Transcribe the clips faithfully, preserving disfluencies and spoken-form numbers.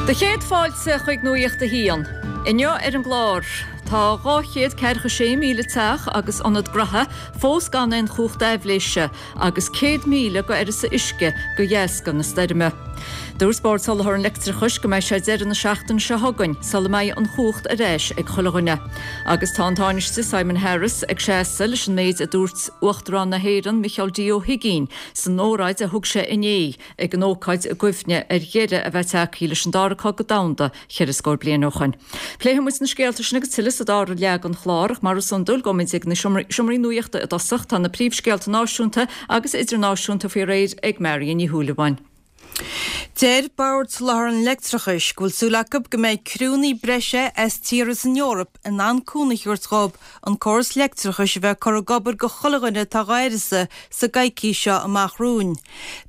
Do chéad fáilte chuig Nuacht a hAon. Inniu ar an gclár tá dhá chéad ceathracha sé míle teach agus ionad gnaithe fós gan aon chumhacht aibhléise agus céad míle go uireasa uisce de dheasca na stoirme. Dúirt Bord Soláthair an Leictreachais go mbeidh sé deireadh na seachtaine seo chugainn sula mbeidh an chumhacht ar ais ag chuile dhuine. Agus tá an Tánaiste Simon Harris ag seasamh leis an méid a dúirt Uachtarán na hÉireann Micheál D. Ó hUigínn san óráid a thug sé inné ag an ócáid i gcuimhne ar dheireadh a bheith tagtha leis an dara cogadh domhanda ceithre scór bliain ó shin. Pléifimid na scéalta sin agus tuilleadh sa dara leath den chlár ach mar is iondúil gabhfaimid ag na seomraí nuachta i dtosach tá na príomhscéalta náisiúnta agus idirnáisiúnta faoi réir ag Marion Ní Shúilleabháin. Deir Bord Soláthair an Leictreachais go bhfuil súil acu go mbeidh criúnna breise as tíortha san Eoraip in ann cúnamh a thabhairt dóibh an córas leictreachais a bheith curtha ag obair go chuile dhuine atá dhá uireasa sa gcoicís seo amach romhainn.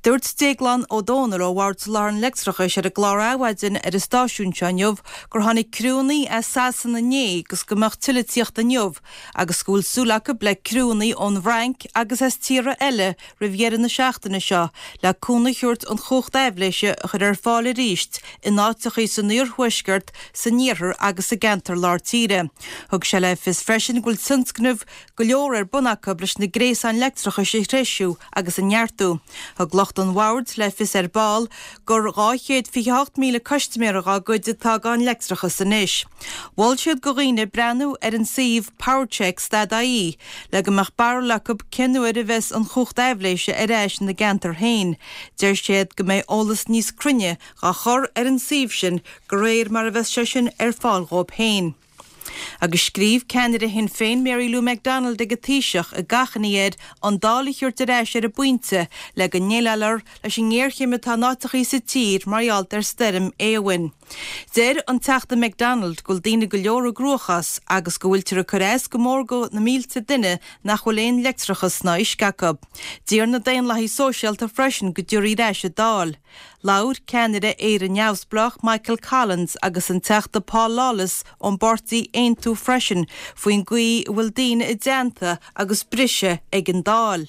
Dúirt Déaglán Ó Dónaill ó Bhord Soláthair an Leictreachais ar an gclár Adhmhaidin ar an stáisiún seo inniu gur tháinig criúnna as Sasana inné agus go mbeadh tuilleadh ag tíocht inniu agus go bhfuil súil acu le criúnna ón bhFrainc agus as tíortha eile roimh dheireadh na seachtaine seo le cúnamh a thabhairt an chumhacht aibhléise a chur ar fáil arís in áiteachaí san iarthuaisceart, san iarthar agus i gceantar lár tíre. Thug sé le fios freisin go bhfuil tionscnaimh go leor ar bun acu leis na gréasáin leictreachais a threisiú agus a neartú. Thug lucht an bhoird le fios ar ball gur dhá chéad fiche hocht míle custaiméir dá gcuid atá gan leictreachas anois. Mhol siad go dhaoine breathnú ar an suíomh powercheck stad ie le go mbeadh barúil acu cén uair a bheas an chumhacht aibhléise ar ais ina gceantar féin. Deir siad go mbeidh eolas níos cruinne dhá chur ar an suíomh sin de réir mar a bheas sé sin ar fáil dhóibh féin. Agus scríobh ceannaire Shinn Féin Mary Lou McDonald ag an Taoiseach ag achainí air an Dáil a thabhairt ar ais ar an bpointe le go ndéileálfar leis an ngéarchéim atá in áiteachaí sa tír mar gheall ar stoirm Éowyn. Deir an Teachta McDonald go bhfuil daoine go leor i gcruachás agus go bhfuiltear ag cur as go mór go na mílte duine nach bhfuil aon leictreachas ná uisce acu. D'iarr na Daonlathaigh Sóisialta freisin go dtabharfaí ar ais an Dáil. Labhair ceannaire Éire Neamhspleách Michael Collins agus an Teachta Paul Lawless ón bpáirtí Aontú freisin faoin gcaoi a bhfuil daoine i dteannta agus briseadh ag an Dáil.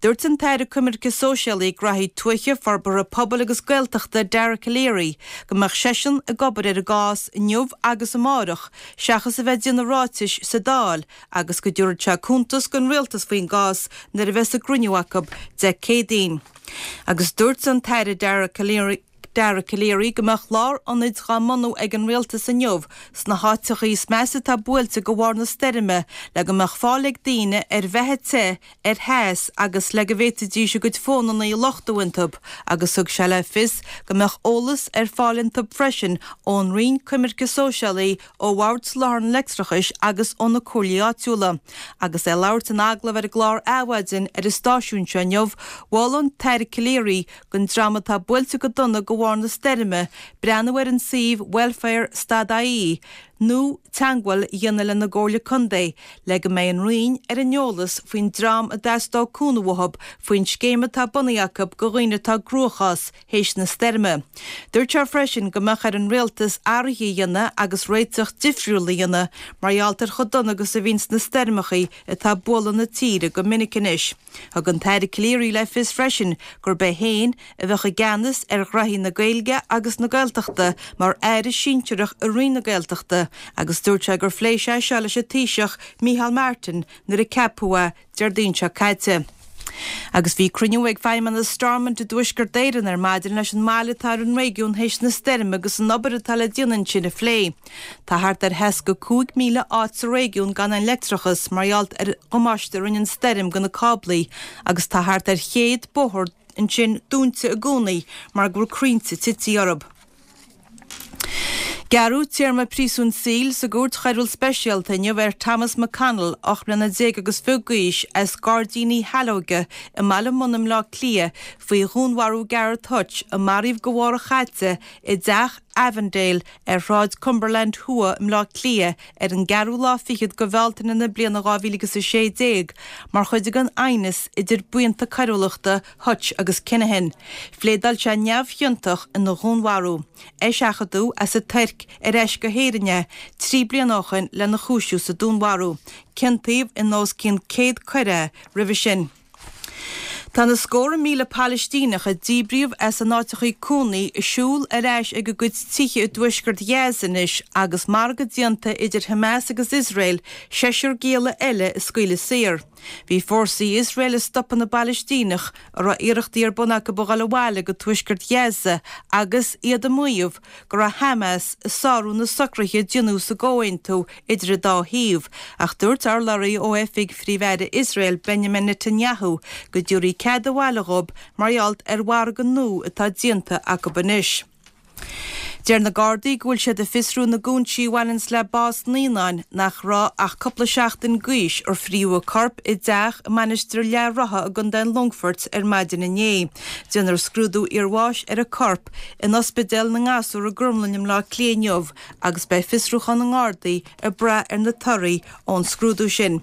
Dúirt an tAire Coimirce Sóisialaí Gnaithí Tuaithe Forbartha Pobail agus Gaeltachta Dara Calleary go mbeadh seisean ag obair ar an gcás inniu agus amárach seachas a bheith ag déanamh ráitis sa Dáil agus go dtabharfaidh sé cuntas don rialtas faoin gcás nuair a bheas a gcruinniú acu Dé Céadaoin. Agus dúirt an tAire Dara Calleary Dara Calleary go mbeadh lárionaid dhá mbunú ag an rialtas inniu sna háiteachaí is measa atá buailte de bharr na stoirme le go mbeadh fáil ag daoine ar bheatha te, ar theas agus le go bhféadfaidís a gcuid fónanna a luchtú iontu agus thug sé le fios go mbeadh eolas ar fáil iontu freisin ón Roinn Coimirce Sóisialaí, ó Bhord Soláthair an Leictreachais agus ó na comhairlí áitiúla. Agus é ag labhairt in agallamh ar an gclár Adhmhaidin ar an stáisiún seo inniu, mhol an tAire Calleary don dream atá buailte go dona de bharr na stoirme breathnú ar an suíomh welfare stad ie nó teagmháil a dhéanamh lena gcomhairle contae le go mbeidh an Roinn ar an eolas faoin dream a dteastódh cúnamh uathu faoin scéim atá bunaithe acu do dhaoine atá i gcruachás théis na stoirme. Dúirt sé freisin go mbeadh ar an rialtas athruithe a dhéanamh agus réiteach difriúil a dhéanamh mar gheall ar chomh dona agus a bhíonns na stoirmeachaí atá ag bualadh na tíre go minic anois. Thug an tAire Calleary le fios freisin gurb é féin a bheadh i gceannas ar ghraithí na Gaeilge agus na Gaeltachta mar aire sinsearach i Roinn na Gaeltachta agus dúirt sé gur phléigh sé seo leis an Taoiseach Micheál Martin nuair a ceapadh é Déardaoin seo caite. Agus bhí cruinniú ag Feidhmeannas Stormont i dTuaisceart Éireann ar maidin leis an mbail atá ar an réigiún théis na stoirme agus an obair atá le déanamh ansin a phlé. Tá thart ar sheasca cúig míle áit sa réigiún gan aon leictreachas mar gheall ar dhamáiste a rinne an stoirm go na cáblaí agus tá thart ar chéad bóthar ansin dúnta i gcónaí mar go bhfuil crainnte tite orthu. Gearradh téarma príosúin saoil sa gCúirt Choiriúil Speisialta inniu ar Thomas McConnell, ocht mbliana déag agus fiche d'aois, as Gairdíní Shaileoige i mBaile Munna i mBleá Cliath faoi dhúnmharú Gareth Hutch a maraíodh go mhárta chaite i dteach Avondale ar Shráid Cumberland Thuaidh i mBleá Cliath ar an gceathrú lá fichead de Bhealtaine na bliana dhá mhíle agus a sé déag mar chuid den aighneas idir buíonta coiriúlachta Hutch agus Kinahan. Phléadáil sé neamhchiontach ina dhúnmharú. Eiseachadadh as an Tuirc ar ais go hÉirinn é trí bliana ó shin lena chúisiú sa dúnmharú. Ciontaíodh in os cionn céad coir é roimhe sin. Tá na scórtha míle Palaistíneach a díbríodh as a n-áiteachaí cónaí ag siúl ar ais ag a gcuid tithe i dtuaisceart Ghaza anois agus margadh déanta idir Hamas agus Iosrael seisear gialla eile a scaoileadh saor. Bhí fórsaí Iosrael ag stopadh na bPalaistíneach a raibh iarrachtaí ar bun acu a dhul abhaile go tuaisceart Ghaza agus iad ag maíomh go raibh Hamas ag sárú na socruithe a déanadh sa gcomhaontú idir an dá thaobh, ach dúirt urlabhraí ó oifig Phríomh-Aire Iosrael Benjamin Netanyahu go dtabharfaí cead abhaile dhóibh mar gheall ar mhargadh nua atá déanta acu anois. Deir na Gardaí go bhfuil siad ag fiosrú na gcúinsí a bhaineanns le bás naíonáin nach raibh ach cúpla seachtain d'aois ar fríodh a corp i dteach i Mainistir Leath Rotha i gContae an Longfoirt ar maidin inné. Déanfar scrúdú iarbháis ar a corp in Ospidéal na nGasúr i gCromghlinn i mBleá Cliath inniu agus beidh fiosrúchán na nGardaí ag brath ar na torthaí ón scrúdú sin.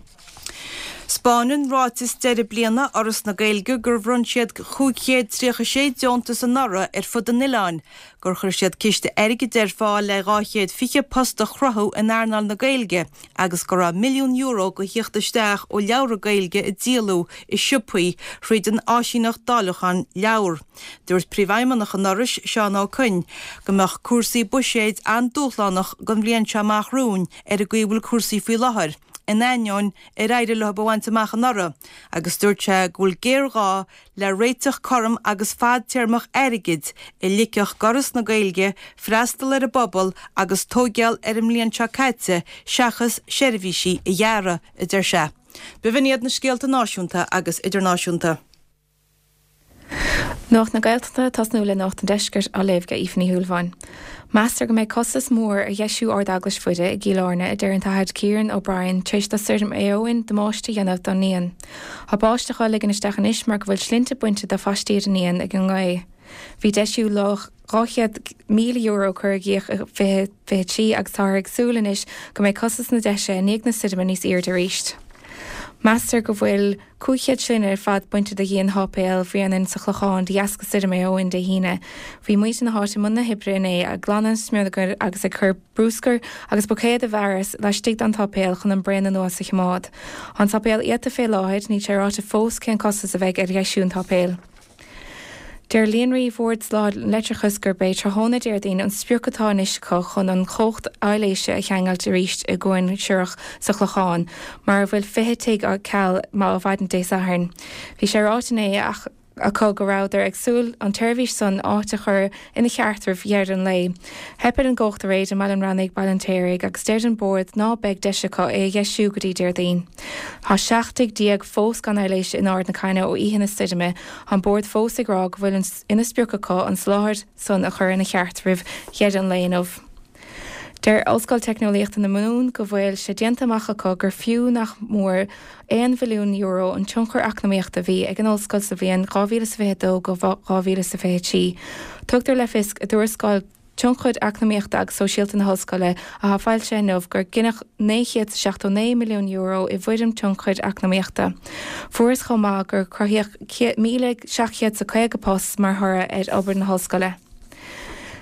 'Spáineann ráiteas deireadh bliana Fhoras na Gaeilge gur bhronn siad cúig chéad tríocha sé deontas anuraidh ar fud an oileáin, gur chuir siad ciste airgid ar fáil le dhá chéad fiche post a chruthú in earnáil na Gaeilge agus go raibh milliún euro go thíocht isteach ó leabhra Gaeilge a díoladh i siopaí thríd an áisíneacht dáileacháin leabhar. Dúirt Príomhfheidhmeannach an Fhorais, Seán Ó Coinn, go mbeadh cúrsaí buiséid an-dúshlánach don bhliain seo amach romhainn ar an gcaoi a bhfuil cúrsaí faoi láthair. in ainneoin ar éirigh leo a bhaint amach anuraidh, agus dúirt sé go bhfuil géarghá le réiteach cothrom agus fadtéarmach airgid a ligfeadh d'Fhoras na Gaeilge freastal ar an bpobal agus tóigeáil ar an mbliain seo caite seachas seirbhísí a ghearradh, a deir sé. B'in iad na scéalta náisiúnta agus idirnáisiúnta. Nuacht na Gaeltachta ag tosnú le Nuacht an Deiscirt á léamh ag Aoife Ní Shúilleabháin. Meastar go mbeidh costas mór ar dheisiú Ard-Eaglais Mhuire i gCill Airne, a deir an tAthair Kieran O'Brien, tar éis do Stoirm Éowyn damáiste a dhéanamh don ndíon. Tá báisteach á ligean isteach anois mar go bhfuil slinnte bainte de phaistí ar an ndíon ag an ngaoth. Bhí deisiú luach dhá chéad míle euro curtha i gcrích i fiche fiche trí agus táthar ag súil anois go mbeidh costas na deise i ndiaidh na stoirme níos airde arís. Meastar go bhfuil cúig chéad slinne ar fad bainte de dhíon Sháipéal Bhréanainn sa Chlochán de dheasca Stoirm Éowyn Dé hAoine. Bhí muintir na háite i mbun na hoibre inné ag glanadh an smionagair agus ag cur bruscair agus buicéad i bhfearas laistigh den tsáipéal chun an braon anuas a choimeád. Tá an sáipéal iata fé láthair, níl sé ráite fós cén costas a bheidh ar dheisiú an tsáipéil. Deir Líonraí Bhord Soláthair an Leictreachais gurb é tráthnóna Déardaoin an sprioc atá anois acu chun an chumhacht aibhléise a cheangailt arís i gCuan Siorrach sa Chlochán, mar a bhfuil fiche tigh ar ceal ó mhaidin Dé Sathairn. Bhí sé ráite inné acu go rabhadar ag súil an tseirbhís san áit a chur ina cheart roimh dheireadh an lae. Theip ar an gcumhacht aréir i mBaile an Reannaigh, Baile an tSéaraigh agus deir an Bord ná beidh deis acu é a dheisiú go dtí Déardaoin. Tá seacht dtigh déag fós gan aibhléis in Ard na Caithne ó oíche na stoirme. Tá an Bord fós ag rá go bhfuil ina sprioc acu an soláthar san a chur ina cheart roimh dheireadh an lae inniu. Deir Ollscoil Teicneolaíochta na Mumhan go bhfuil sé déanta amach acu gur fiú nach mór aon bhilliún euro an tionchar eacnamaíochta a bhí ag an ollscoil sa bhliain dhá mhíle is fiche a dó go dhá mhíle is fiche a trí. Tugtar le fios i dtuarascáil Tionchair Eacnamaíochta agus Sóisialta na hOllscoile atá foilsithe inniu gur gineadh naoi chéad is seachtó naoi milliún euro i bhfoirm tionchair eacnamaíochta. Fuarthas chomh maith gur cruthaíodh míle seacht chéad is caoga post mar thoradh ar obair na hollscoile.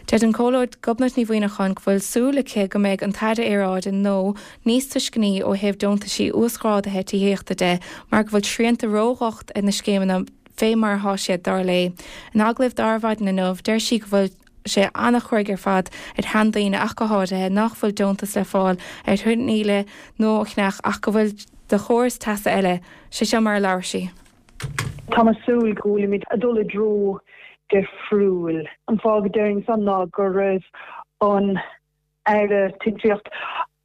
Deir an Comhairleoir Gobnait Ní Mhuineacháin go bhfuil súil aici go mbeidh an tAire Aeráide nua níos tuisceanaí ó thaobh deontaisí uasghrádaithe tithíochta de mar go bhfuil srianta ródhocht ar na scéimeanna fé mar atá siad, dar léi. In agallamh d'Adhmhaidin inniu, deir sí go bhfuil sé an-chruaidh ar fad ar sheandaoine ach go háirithe nach bhfuil deontas le fáil ar thine nua a cheannach ach go bhfuil do chóras teasa eile. Sé seo mar a labhair sí. Tá mé ag súil go bhfuilimid ag dul i dtreo difriúil. An fáth go deirim san ná go raibh an Aire Tithíochta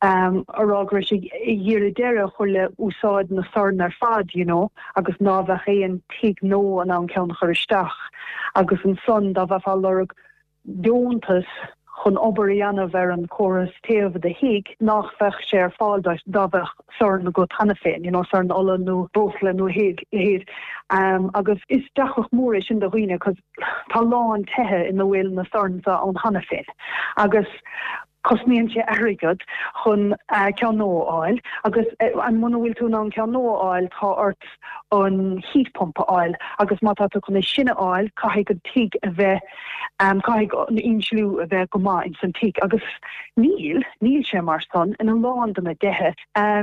a rá go raibh sé ag iarraidh deireadh a chur le úsáid na sorn ar fad, you know, agus ná bheadh aon tigh nua in ann ceann a chur isteach agus ansan dá mbeifeá ag lorg deontas chun obair a dhéanamh ar an córas téimh i do thigh nach bheadh sé ar fáil duit dá bheadh sorn agat cheana féin, you know, sorn ola nó breosla nó a leithéid. Agus is deacracht mór é sin do dhaoine cos tá a lán tithe ina bhfuil na soirn seo ann cheana féin agus cosnaíonn sé airgead chun ceann nua a fháil agus muna bhfuil tú in ann ceann nua a fháil tá ort an heat pump a fháil agus má tá tú chun é sin a fháil caithfidh an tigh a bheith caithfidh an insliú a bheith go maith ins an tigh agus níl, níl sé mar san in a lán de na tithe,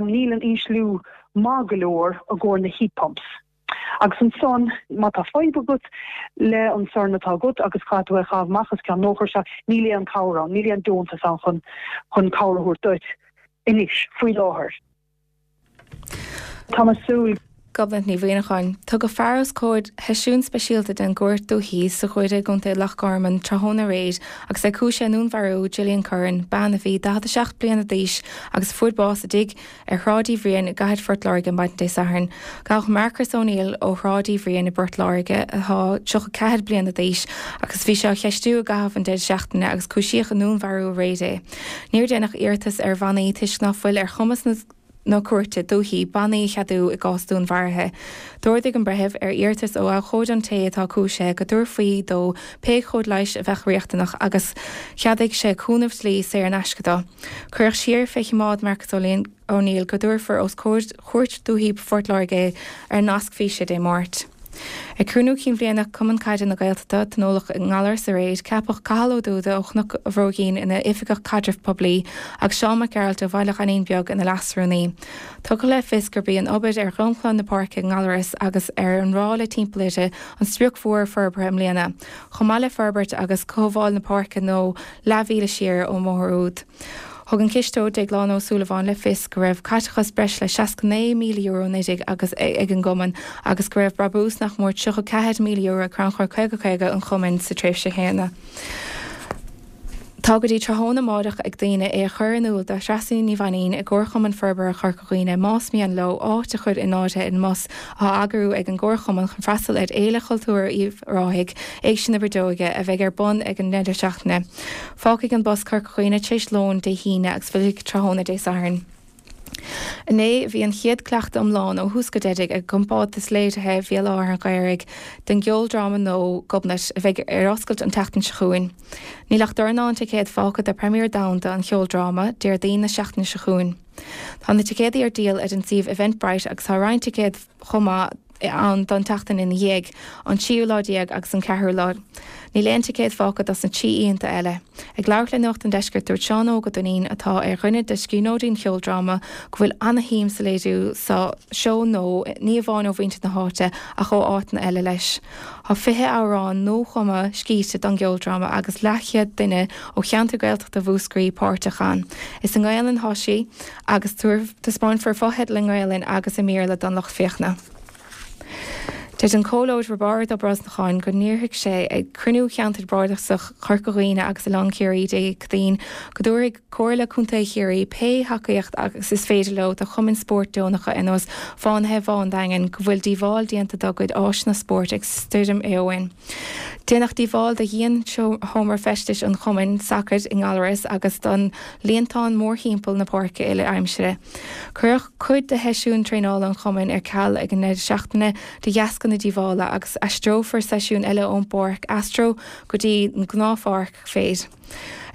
níl an insliú maith go leor i gcomhair na heat pumps. Agus ansan má tá fadhb agat le an sorn atá agat agus caithfidh tú é a chaitheamh amach os cionn nócha seacht, níl aon cabhair ann, níl aon deontas ann chun chun cabhair a thabhairt duit anois faoi láthair. Tá mé ag súil. Gobnait Ní Mhuineacháin. Tugadh fear os comhair sheisiún speisialta den gCúirt Dúiche sa Ghuaire i gContae Loch Garman tráthnóna aréir agus é cúisithe i ndúnmharú Gillian Curran, bean a bhí daichead a seacht bliana d'aois agus a fuair bás i dtigh ar Shráid Uí Bhriain i gcathair Phort Láirge maidin Dé Sathairn. Gabhadh Marcus O'Neill ó Shráid Uí Bhriain i bPort Láirge atá tríocha ceathair bliana d'aois agus bhí sé á cheistiú i gcaitheamh an deireadh seachtaine agus cúisíodh i ndúnmharú aréir é. Níor déanadh iarratas ar bhannaí toisc ná fuil ar chumas na na cúirte dúichí bannaí a cheadú i gcás dúnmharaithe. D'ordaigh an breitheamh, ar iarratas ó abhcóide an té atá cúisithe, go dtabharfaí dó pé cóir leighis a bheadh riachtanach agus cheadaigh sé cúnamh dlí saor in aisce dó. Cuireadh siar fé choimeád Marcus O'Neill go dtabharfar os comhair Chúirt Dúichí Phort Láirge é ar nasc físe Dé Máirt. Ag cruinniú cinn bhliana Chumann Caide na Gaeltachta, a tionóladh i nGallaras aréir, ceapadh Cathal Ó Dúda ó Chnoc an Bhróigín ina Oifigeach Caidrimh Poiblí agus Seán Mac Gearailt ó Bhaile Ghainín Beag ina Leasrúnaí. Tugadh le fios gurb í an obair ar dhromchla na páirce i nGallaras agus ar an ráille timpeall uirthi an sprioc mhór forbartha i mbliana, chomh maith le forbairt agus cothabháil na páirce nó leathmhíle siar ón mbóthar úd. Thug an cisteoir Déaglán Ó Súilleabháin le fios go raibh caiteachas breis le seasca naoi míle euro naoi déag agus ag an gcumann agus go raibh brabús nach mór tríocha ceathair míle euro ag Crannchur caoga caoga an chumainn sa tréimhse chéanna. Tá go dtí tráthnóna amárach ag daoine é a chur in iúl do Threasa Ní Mhainín i gComharchumann Forbartha Chorca Dhuibhne más mian leo áit a chur in áirithe i mbus á eagrú ag an gComharchumann chun freastal ar Fhéile Chultúir Uíbh Ráthaigh, Éigse na Brídeoige, a bheidh ar bun ag an ndeireadh seachtaine. Fágfaidh an bus Corca Dhuibhne tar éis lóin Dé hAoine agus fillfidh tráthnóna Dé Sathairn. Inné bhí an chéad cleachtadh iomlán ó thús go deireadh ag compántas léirithe Bhéal Átha an Ghaorthaidh den gceoldráma nua Gobnait a bheidh ar oscailt an tseachtain seo chugainn. Níl ach dornán ticéad fágtha do premiere domhanda an cheoldráma, Déardaoin na seachtaine seo chugainn. Tá na ticéadaí ar díol ar an suíomh Eventbrite agus tá roinnt ticéad chomh maith ann don tseachtain ina dhiaidh, an tríú lá déag agus an ceathrú lá. Níl aon ticéad fágtha dos na trí oícheanta eile. Ag labhairt le Nuacht an Deiscirt dúirt Seán Óg Ó Duinnín, atá ar dhuine de scríbhneoirí an cheoldráma, go bhfuil ana-shuim sa léiriú sa seó nua, ní amháin ó mhuintir na háite ach ó áiteanna eile leis. Tá fiche amhrán nuachumtha scríte don gceoldráma agus leathchéad duine ó cheantar Gaeltachta Mhúscraí páirteach ann. Is i nGaelainn atá sé agus taispeánfar fotheidil i nGaelainn agus i mBéarla don lucht féachana. Deir an Comhairleoir Roibeárd Ó Brosnacháin go n-iarrfaidh sé ag cruinniú Cheantar Bardasach Chorca Dhuibhne agus Oileán Ciarraí Dé Céadaoin go dtabharfaidh Comhairle Contae Chiarraí pé thacaíocht agus is féidir leo do chumainn spóirt deonacha ar nós Fánaithe Bhá an Daingin go bhfuil díobháil déanta dá gcuid áiseanna spóirt ag Stoirm Éowyn. Déanadh díobháil do dhíon-sheomra feistis an chumainn sacair i nGallaras agus don líontán mórthimpeall na páirce uile-aimsire. Cuireadh cuid de sheisiúin traenála an chumainn ar ceal ag an ndeireadh seachtaine de dheasca na díobhála agus aistreofar seisiúin eile ón bpáirc Astro go dtí an ghnáthpháirc féir.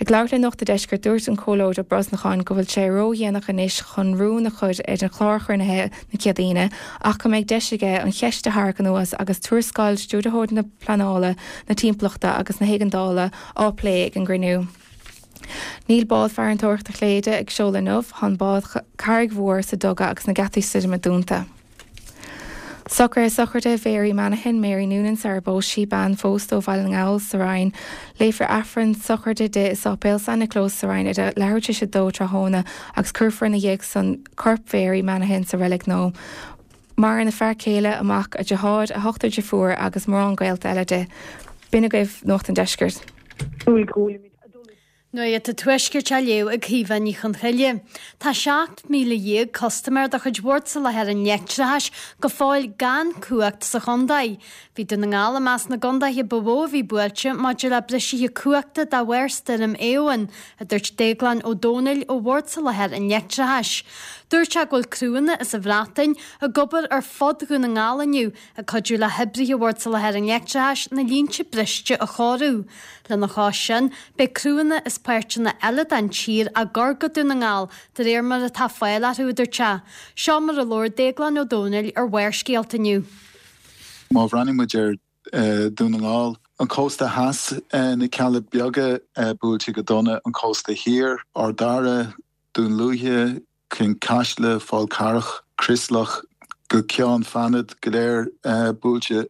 Ag labhairt le Nuacht an Deiscirt, dúirt an Comhairleoir Ó Brosnacháin go bhfuil sé ródhéanach anois chun rún a chur ar an chlár chruinnithe na Céadaoine ach go mbeidh deis aige an cheist a tharrac anuas agus tuarascáil Stiúrthóir na Pleanála, na Timpeallachta agus na hÉigeandála á plé ag an gcruinniú. Níl bád farantóireachta Chléire ag seoladh inniu, tá an bád Carraig Mhór sa duga agus na geataí stoirme dúnta. Socruithe sochraide Mhary Manahan, Mary Noonan sar ar phós sí, bean phósta ó Bhaile na nGall sa Rinn. Léifear Aifreann sochraide di i Sáipéal San Nioclás sa Rinn idir leathuair tar éis a dó tráthnóna agus cuirfear ina dhiaidh san corp Mhary Manahan sa reilig nua. Maireann a fear céile, a mac, a deartháir, a hochtar deirfiúr agus mórán gaolta eile di. B'in agaibh Nuacht an Deiscirt. Nuacht an Tuaiscirt á léamh ag Caoimhe Ní Chonchoille. Tá seacht míle dhéag custaiméir de chuid Bhord Soláthair an Leictreachais go fóill gan cumhacht sa chontae. Bhí Dún na nGall i measc na gcontaetha ba mhó a bhí buailte maidir le briseadh cumhachta de bharr Stoirm Éowyn, a dúirt Déaglán Ó Domhnaill ó Bhord Soláthair an Leictreachais. Dúirt sé go bhfuil criúnna as an Bhreatain ag obair ar fud Dhún na nGall inniu ag cuidiú le hoibrithe Bhord Soláthair an Leictreachais na línte briste a chóiriú. Lena chois sin, beidh criúnna as páirteanna eile den tír á gcur go Dún na nGall de réir mar atá fáil orthu, a dúirt sé. Seo mar a labhair Déaglán Ó Domhnaill ar Bharrscéalta inniu. Má bhreathnaíonn muid ar Dún na nGall, an cósta theas, na Cealla Beaga buailte go dona, an cósta thiar, Ard Dara, Dún Lúiche, Cionn Caisle, Fál Carrach, Criosloch, go Ceann Fánad go léir buailte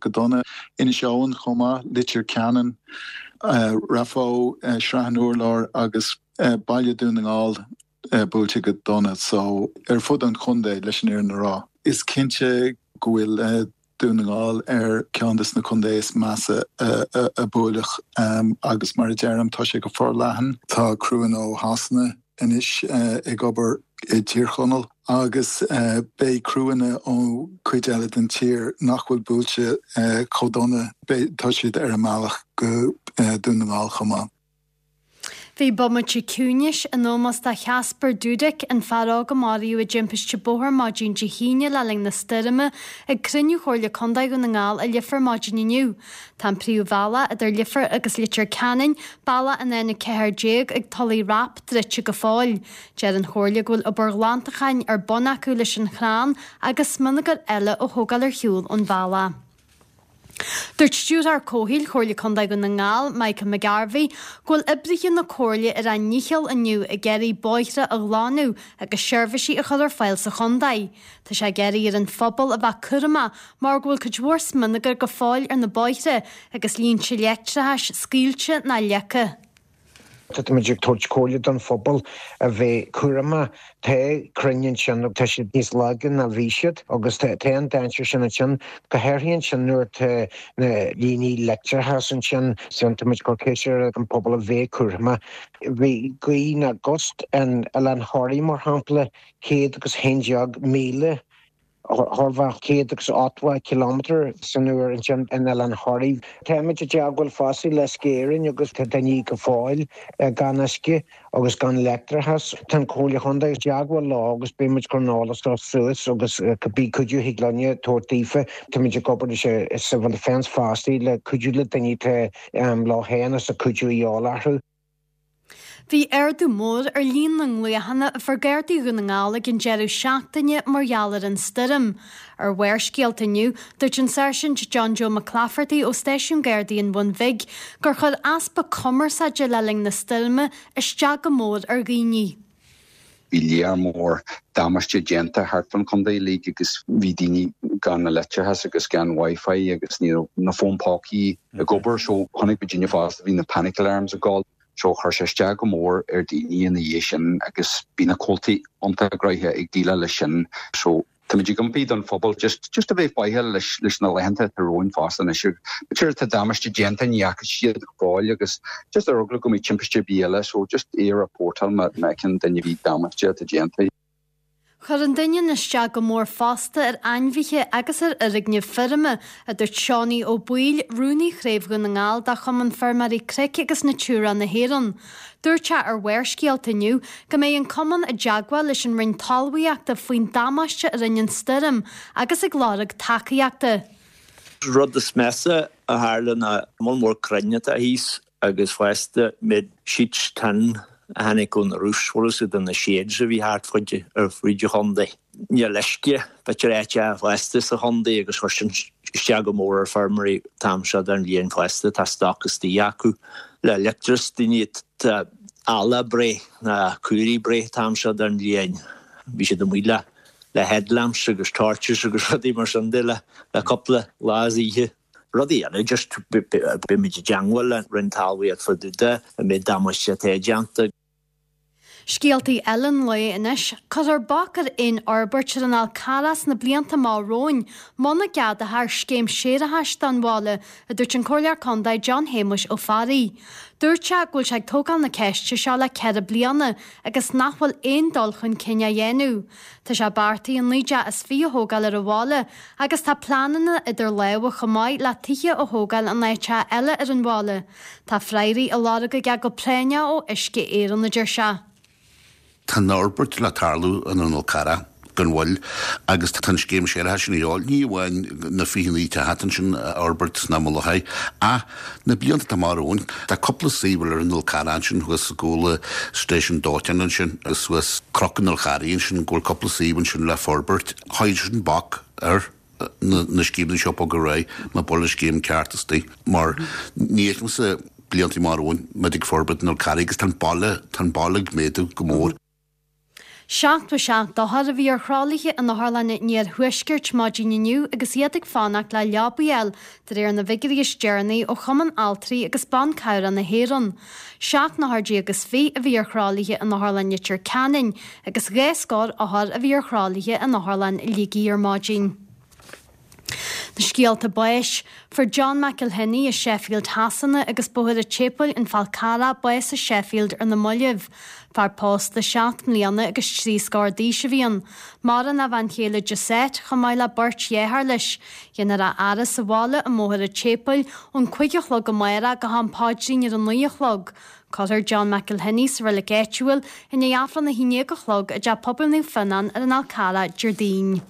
go dona. Inis Eoghain chomh maith, Leitir Ceanainn, Raphoe, Srath an Urláir agus Baile Dún na nGall buailte go dona. So ar fud an chontae leis an fhírinne a rá. Is cinnte go bhfuil Dún na nGall ar ceann des na contaetha is measa a buaileadh agus mar a deirim tá sé go forleathan. Tá criúnna ó Shasana anois ag obair i dTír Chonaill agus beidh criúnna ó cuid eile den tír nach bhfuil buailte chomh dona, tá siad ar a mbealach go Dún na nGall chomh maith. Bhí bomaite ciúnais in ómós do Chasper Dudek, an fear óg a maraíodh i dtimpiste bóthair maidin Dé hAoine le linn na stoirme, ag cruinniú Chomhairle Contae Dhún na nGall i Leifear maidin inniu. Tá an príomhbhealach idir Leifear agus Leitir Ceanainn, bealach an N a ceathair déag ag Tulaigh Rap, druidte go fóill. Deir an Chomhairle go bhfuil obair ghlantacháin ar bun acu leis an chrann agus smionagar eile a thógáil ar shiúl ón bhealach. Dúirt Stiúrthóir Comhshaoil Chomhairle Contae Dhún na nGall, Michael McGarvey, go bhfuil oibrithe na Comhairle ar a ndícheall inniu ag iarraidh bóithre a ghlanadh agus seirbhísí a chur ar fáil sa chontae. Tá sé ag iarraidh ar an phobal a bheith cúramach mar go bhfuil cuid mhór smionagair go fóill ar na bóithre agus línte leictreachais scaoilte ná leagtha. Táimid ag tabhairt comhairle don phobal a bheith cúramach. Tá crainn ansin, tá siad níos laige ná bhí siad agus tá an dainséar sin ansin, go háirithe ansin nuair atá na líní leictreachais ansin. Táimid ag cur ceist ar an pobal a bheith cúramach. Bhí gaoth ná gust in Oileán Thoraí mar shampla, céad agus haon déag míle. Chóir a bheith céad agus ochtó kilometre san uair ansin in Oileán Thoraí. Táimid i dteagmháil fosta le Uisce Éireann agus tá daoine go fóill gan uisce agus gan leictreachas. Tá an Comhairle Chontae i dteagmháil leo agus beidh muid ag cur an eolas seo suas agus cibé cuidiú a thig linne tabhairt daofa. Táimid ag obair leis an Civil Defence fosta le cuidiú le daoine atá leo féin agus cuidiú a dhíobháil orthu. Bhí ardú mór ar líon na nglaochanna a fuair Gardaí Dhún na nGall ag an deireadh seachtaine mar gheall ar an stoirm. Ar Bharrscéalta inniu, dúirt an Sáirsint John Joe McClafferty ó Stáisiún Gardaí an Bhun Bhig gur chuir easpa cumarsáide le linn na stoirme isteach go mór ar dhaoine. Bhí léar mór damáiste déanta thart fán chontae uilig agus bhí daoine gan na leictreachas agus gan Wi-Fi agus ní raibh na fóin pócaí ag obair so chonaic muid daoine fosta bhí na panic alarms ag gabháil. So chuir sé isteach go mór ar daoine ina dhiaidh sin agus bhí na comhaltaí iontach gnoitheach ag déileáil leis sin. So táimid ag impí don phobal just just a bheith faichilleach leis leis na laethanta atá romhainn fosta anois. B'fhéidir tá damáiste déanta ní fhaca siad go fóill agus just ar eagla go mbeidh timpiste ar bith eile so just é a reportáil má fheiceann duine ar bith damáiste atá déanta. Chuir an doineann isteach go mór fosta ar ainmhithe agus ar fhoirgnimh feirme, a dúirt Seánie Ó Baoill, Rúnaí Chraobh Dhún na nGall de Chumann Feirmeoirí Cnoic agus Natura na hÉireann. Dúirt sé ar Bharrscéalta inniu go mbeidh an cumann i dteagmháil leis an Roinn Talmhaíochta faoin damáiste a rinne an stoirm agus ag lorg tacaíochta. Rud is measa a tharla ná moll mór crainn atá thíos agus fosta méid sheets tin a tháinig ó na roofs bhfuil siad na sheds a bhí thart fud ar fud an chontae. Níl uisce b'fhéidir áit fosta sa chontae agus chuir sin isteach go mór ar feirmeoirí an t-am seo den bhliain fosta tá stoc istigh acu le leictreachas daoine tá ealla breith na caoirigh breith an t-am seo den bhliain. Bhí siad amuigh le le headlamps agus torches agus rudaí mar sin de le le cúpla lá is oíche. Rudaí eile just beimid i dteagmháil le Roinn Talmhaíochta fá dtaobh de an méid damáiste atá déanta. Scéaltaí eile an lae anois, cuirfear bac ar aon fhorbairt ar an Fhál Carrach sna blianta amach romhainn muna gceadófar scéim séarachais don bhaile, a dúirt an Comhairleoir Contae John Shéamuis Ó Fearraigh. Dúirt sé go bhfuil sé ag tógáil na ceiste seo le ceithre bliana agus nach bhfuil aon dul chun cinn á dhéanamh. Tá sé beartaithe naoi dteach is fiche a thógáil ar an bhaile agus tá pleananna idir lámha chomh maith le tithe a thógáil in áiteacha eile ar an bhaile. Tá freagraí á lorg aige go práinneach ó Uisce Éireann, a deir sé. Tá an fhorbairt le tarlú in an Fhál Carrach gan mhoill agus tá an scéim séarachais sin a dhíobháil, ní amháin na fiche naoi teach ansin a fhorbairt sna Mullachaí ach na blianta atá amach romhainn. Tá cúpla suíomh ar an Fhál Carrach ansin thuas i gcúl an stáisiún dóiteáin ansin agus suas Cnoc an Fháil Charraigh ansin go bhfuil cúpla suíomh ansin le forbairt. Chuir sin bac ar na scéimeanna seo bogadh ar aghaidh má bhfuil an scéim ceart istigh mar ní fheicimse blianta amach romhainn muid ag forbairt an Fhál Carraigh agus tá an baile tá an baile ag méadú go mór. Seachtó seacht othar a bhí ar thralaithe in Otharlann an Iarthuaiscirt maidin inniu agus iad ag fanacht le leaba a fháil, de réir na bhfigiúirí is deireanaí ó Chumann Altraí agus Ban Cabhrach na hÉireann. Seacht n-othar déag is fiche a bhí ar thralaithe in Otharlann Leitir Ceanainn agus dhá scór othar a bhí ar thralaithe in Otharlann Shligigh ar maidin. Na scéalta báis, Fuair John McElhinney i Sheffield Shasana agus Bóthar an tSéipéil, An Fál Carrach, bás i Sheffield ar na mallaibh. Fear pósta seacht mbliana agus trí scór d'aois a bhí ann. Maireann a bhean chéile Josette chomh maith le beirt dheartháir leis. Déanfar a fhaire sa bhaile i mBóthar an tSéipéil ón cúig a chlog amárach go ham paidrín ar a naoi a chlog. Cuirfear John McElhinney sa reilig áitiúil i ndiaidh Aifreann a haon déag a chlog i dTeach Pobail Naomh Fionnán ar an Fhál Carrach Déardaoin.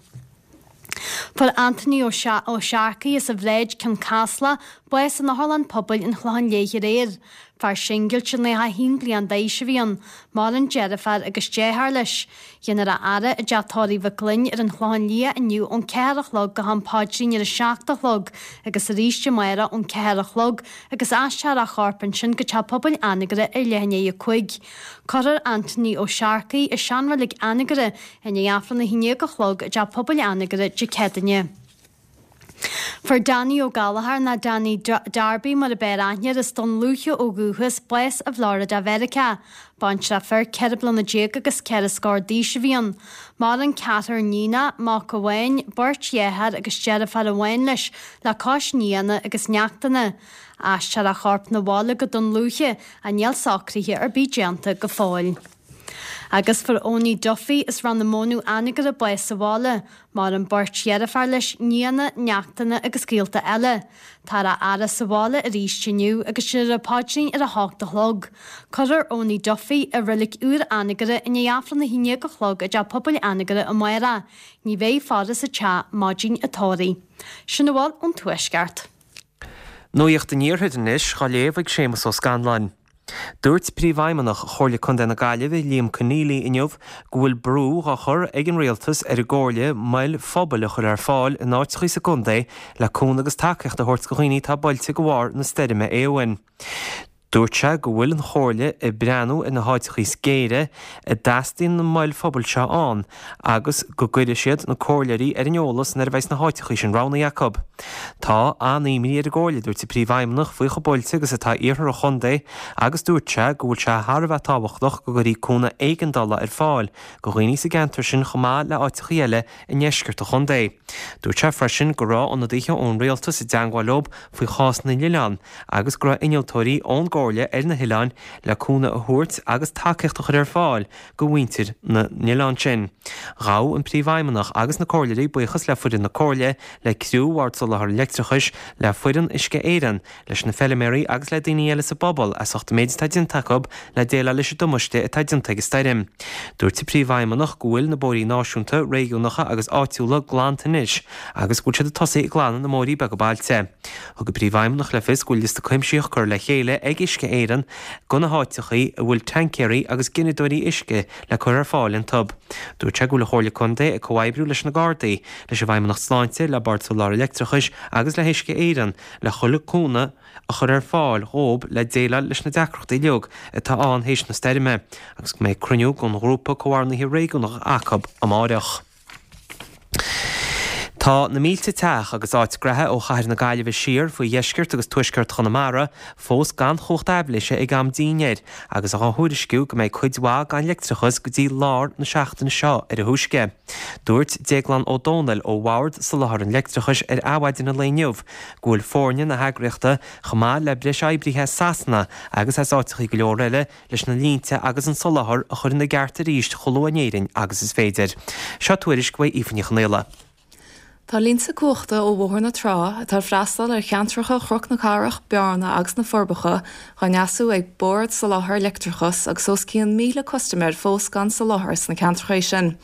Fuair Anthony Ó Searcaigh as an Bhráid, Cionn Caslach, bás in Otharlann Pobail an Chlocháin Léith aréir. Fear singilte nócha a haon bliain d'aois a bhí ann. Maireann deirfiúr agus deartháir leis. Déanfar a fhaire i dTeach Tórraimh Mhic Fhloinn ar an Chlochán Liath inniu ón ceathair a chlog go ham paidrín ar a seacht a chlog agus arís amárach ón ceathair a chlog agus aistreofar a chorp ansin go Teach Pobail Anagaire ar leath i ndiaidh a cúig. Cuirfear Anthony Ó Searcaigh i seanreilig Anagaire i ndiaidh Aifreann a haon déag a chlog i dTeach Pobail Anagaire Dé Céadaoine. Fuair Danny Ó Gallchóir, nó Danny Darby mar a b'fhearr aithne air, as Dún Lúiche ó dhúchas, bás i bhFlorida Mheiriceá. Baintreach fir ceithre bliana déag agus ceithre scór d'aois a bhí ann. Maireann ceathrar níonach, mac amháin, beirt dheartháir agus deirfiúr amháin leis, le cois nianna agus neachtanna. Aistreofar a chorp 'na bhaile go Dún Lúiche, ach níl socruithe ar bith déanta go fóill. Agus fuair Owenie Duffy as Rann na Mónadh Anagaire bás sa bhaile. Maireann beirt dheirfiúr leis, nianna, neachtanna agus gaolta eile. Táthar á fhaire sa bhaile arís inniu agus déanfar an paidrín ar a hocht a chlog. Cuirfear Owenie Duffy i reilig úr Anagaire i ndiaidh Aifreann a haon déag a chlog i dTeach Pobail Anagaire amárach. Ní bheidh faire sa teach maidin an tórraimh. Sin a bhfuil ón Tuaisceart. Nuacht an Iarthair anois á léamh ag Séamus Ó Scanláin. Dúirt Príomhfheidhmeannach Chomhairle Contae na Gaillimhe, Liam Conneely inniu go bhfuil brú á chur ag an rialtas ar an gComhairle moil phobail a chur ar fáil in áiteachaí sa gcontae le cúnamh agus tacaíocht a thabhairt do dhaoine atá buailte de bharr na stoirme Éowyn. Dúirt sé go bhfuil an Chomhairle ag breathnú ar na háiteachaí is géire a dteastaíonn na moil phobail seo ann agus go gcuirfidh siad na comhairleoirí ar an eolas nuair a bheidh na háiteachaí sin roghnaithe acu. Tá an-imní ar an gComhairle, dúirt an Príomhfheidhmeannach, faoi chomh buailte agus atá iarthar an chontae agus dúirt sé go bhfuil sé thar a bheith tábhachtach go gcuirfí cúnamh éigeandála ar fáil do dhaoine sa gceantar sin chomh maith le háiteachaí eile i ndeisceart an chontae. Dúirt sé freisin go raibh ionadaithe ón rialtas i dteangmháil leo faoi chás na n-oileán agus go raibh innealtóirí ón gComhairle ar na hoileáin le cúnamh a thabhairt agus tacaíocht a chur ar fáil do mhuintir na n-oileán sin. Ghabh an Príomhfheidhmeannach agus na Comhairleoirí buíochas le foireann na Comhairle, le criú Bhord Soláthair Leictreachais, le foireann Uisce Éireann, leis na feiliméaraí agus le daoine eile sa bpobal as ucht an méid atá déanta acu le déileáil leis an damáiste atá déanta ag an stoirm. Dúirt an Príomhfheidhmeannach go bhfuil na bóithrí náisiúnta, réigiúnacha agus áitiúla glanta anois agus go bhfuil siad ag tosaí ag glanadh na mbóithrí beaga bailte. Thug an Príomhfheidhmeannach le fios go bhfuil liosta cuimsitheach curtha le chéile ag Uisce Éireann de na háiteachaí a bhfuil taincéirí agus gineadóirí uisce le cur ar fáil iontu. Dúirt sé go bhfuil an Chomhairle Contae ag comhoibriú leis na Gardaí, leis an bhFeidhmeannacht Sláinte, le Bord Soláthair Leictreachais agus le hUisce Éireann le chuile cúnamh a chur ar fáil dhóib le déileáil leis na deacrachtaí uilig atá ann théis na stoirme agus go mbeidh cruinniú den Ghrúpa Comhordnaithe Réigiúnach acu amáireach. Tá na mílte teach agus áit graithe ó chathair na Gaillimhe siar faoi dheisceart agus tuaisceart Chonamara fós gan chumhacht aibhléise ag am dinnéir agus á thuairisciú go mbeidh cuid mhaith gan leictreachas go dtí lár na seachtaine seo ar a thúisce. Dúirt Déaglán Ó Dónaill ó Bhord Soláthair an Leictreachais ar Adhmhaidin an lae inniu go bhfuil foirne na heagraíochta chomh maith le breis oibrithe as Sasana agus as áiteachaí go leor eile leis na línte agus an soláthar a chur ina gceart arís chomh luath in Éirinn agus is féidir. Seo tuairisc uaidh Aoife Ní Chonaola. Tá línte cumhachta ó Bhóthar na Trá, atá ag freastal ar cheantracha Chnoc na Cathrach, Bearna agus na Forbacha, dhá ndeasú ag Bord Soláthair Leictreachais agus os cionn míle custaiméir fós gan soláthar sna ceantracha sin.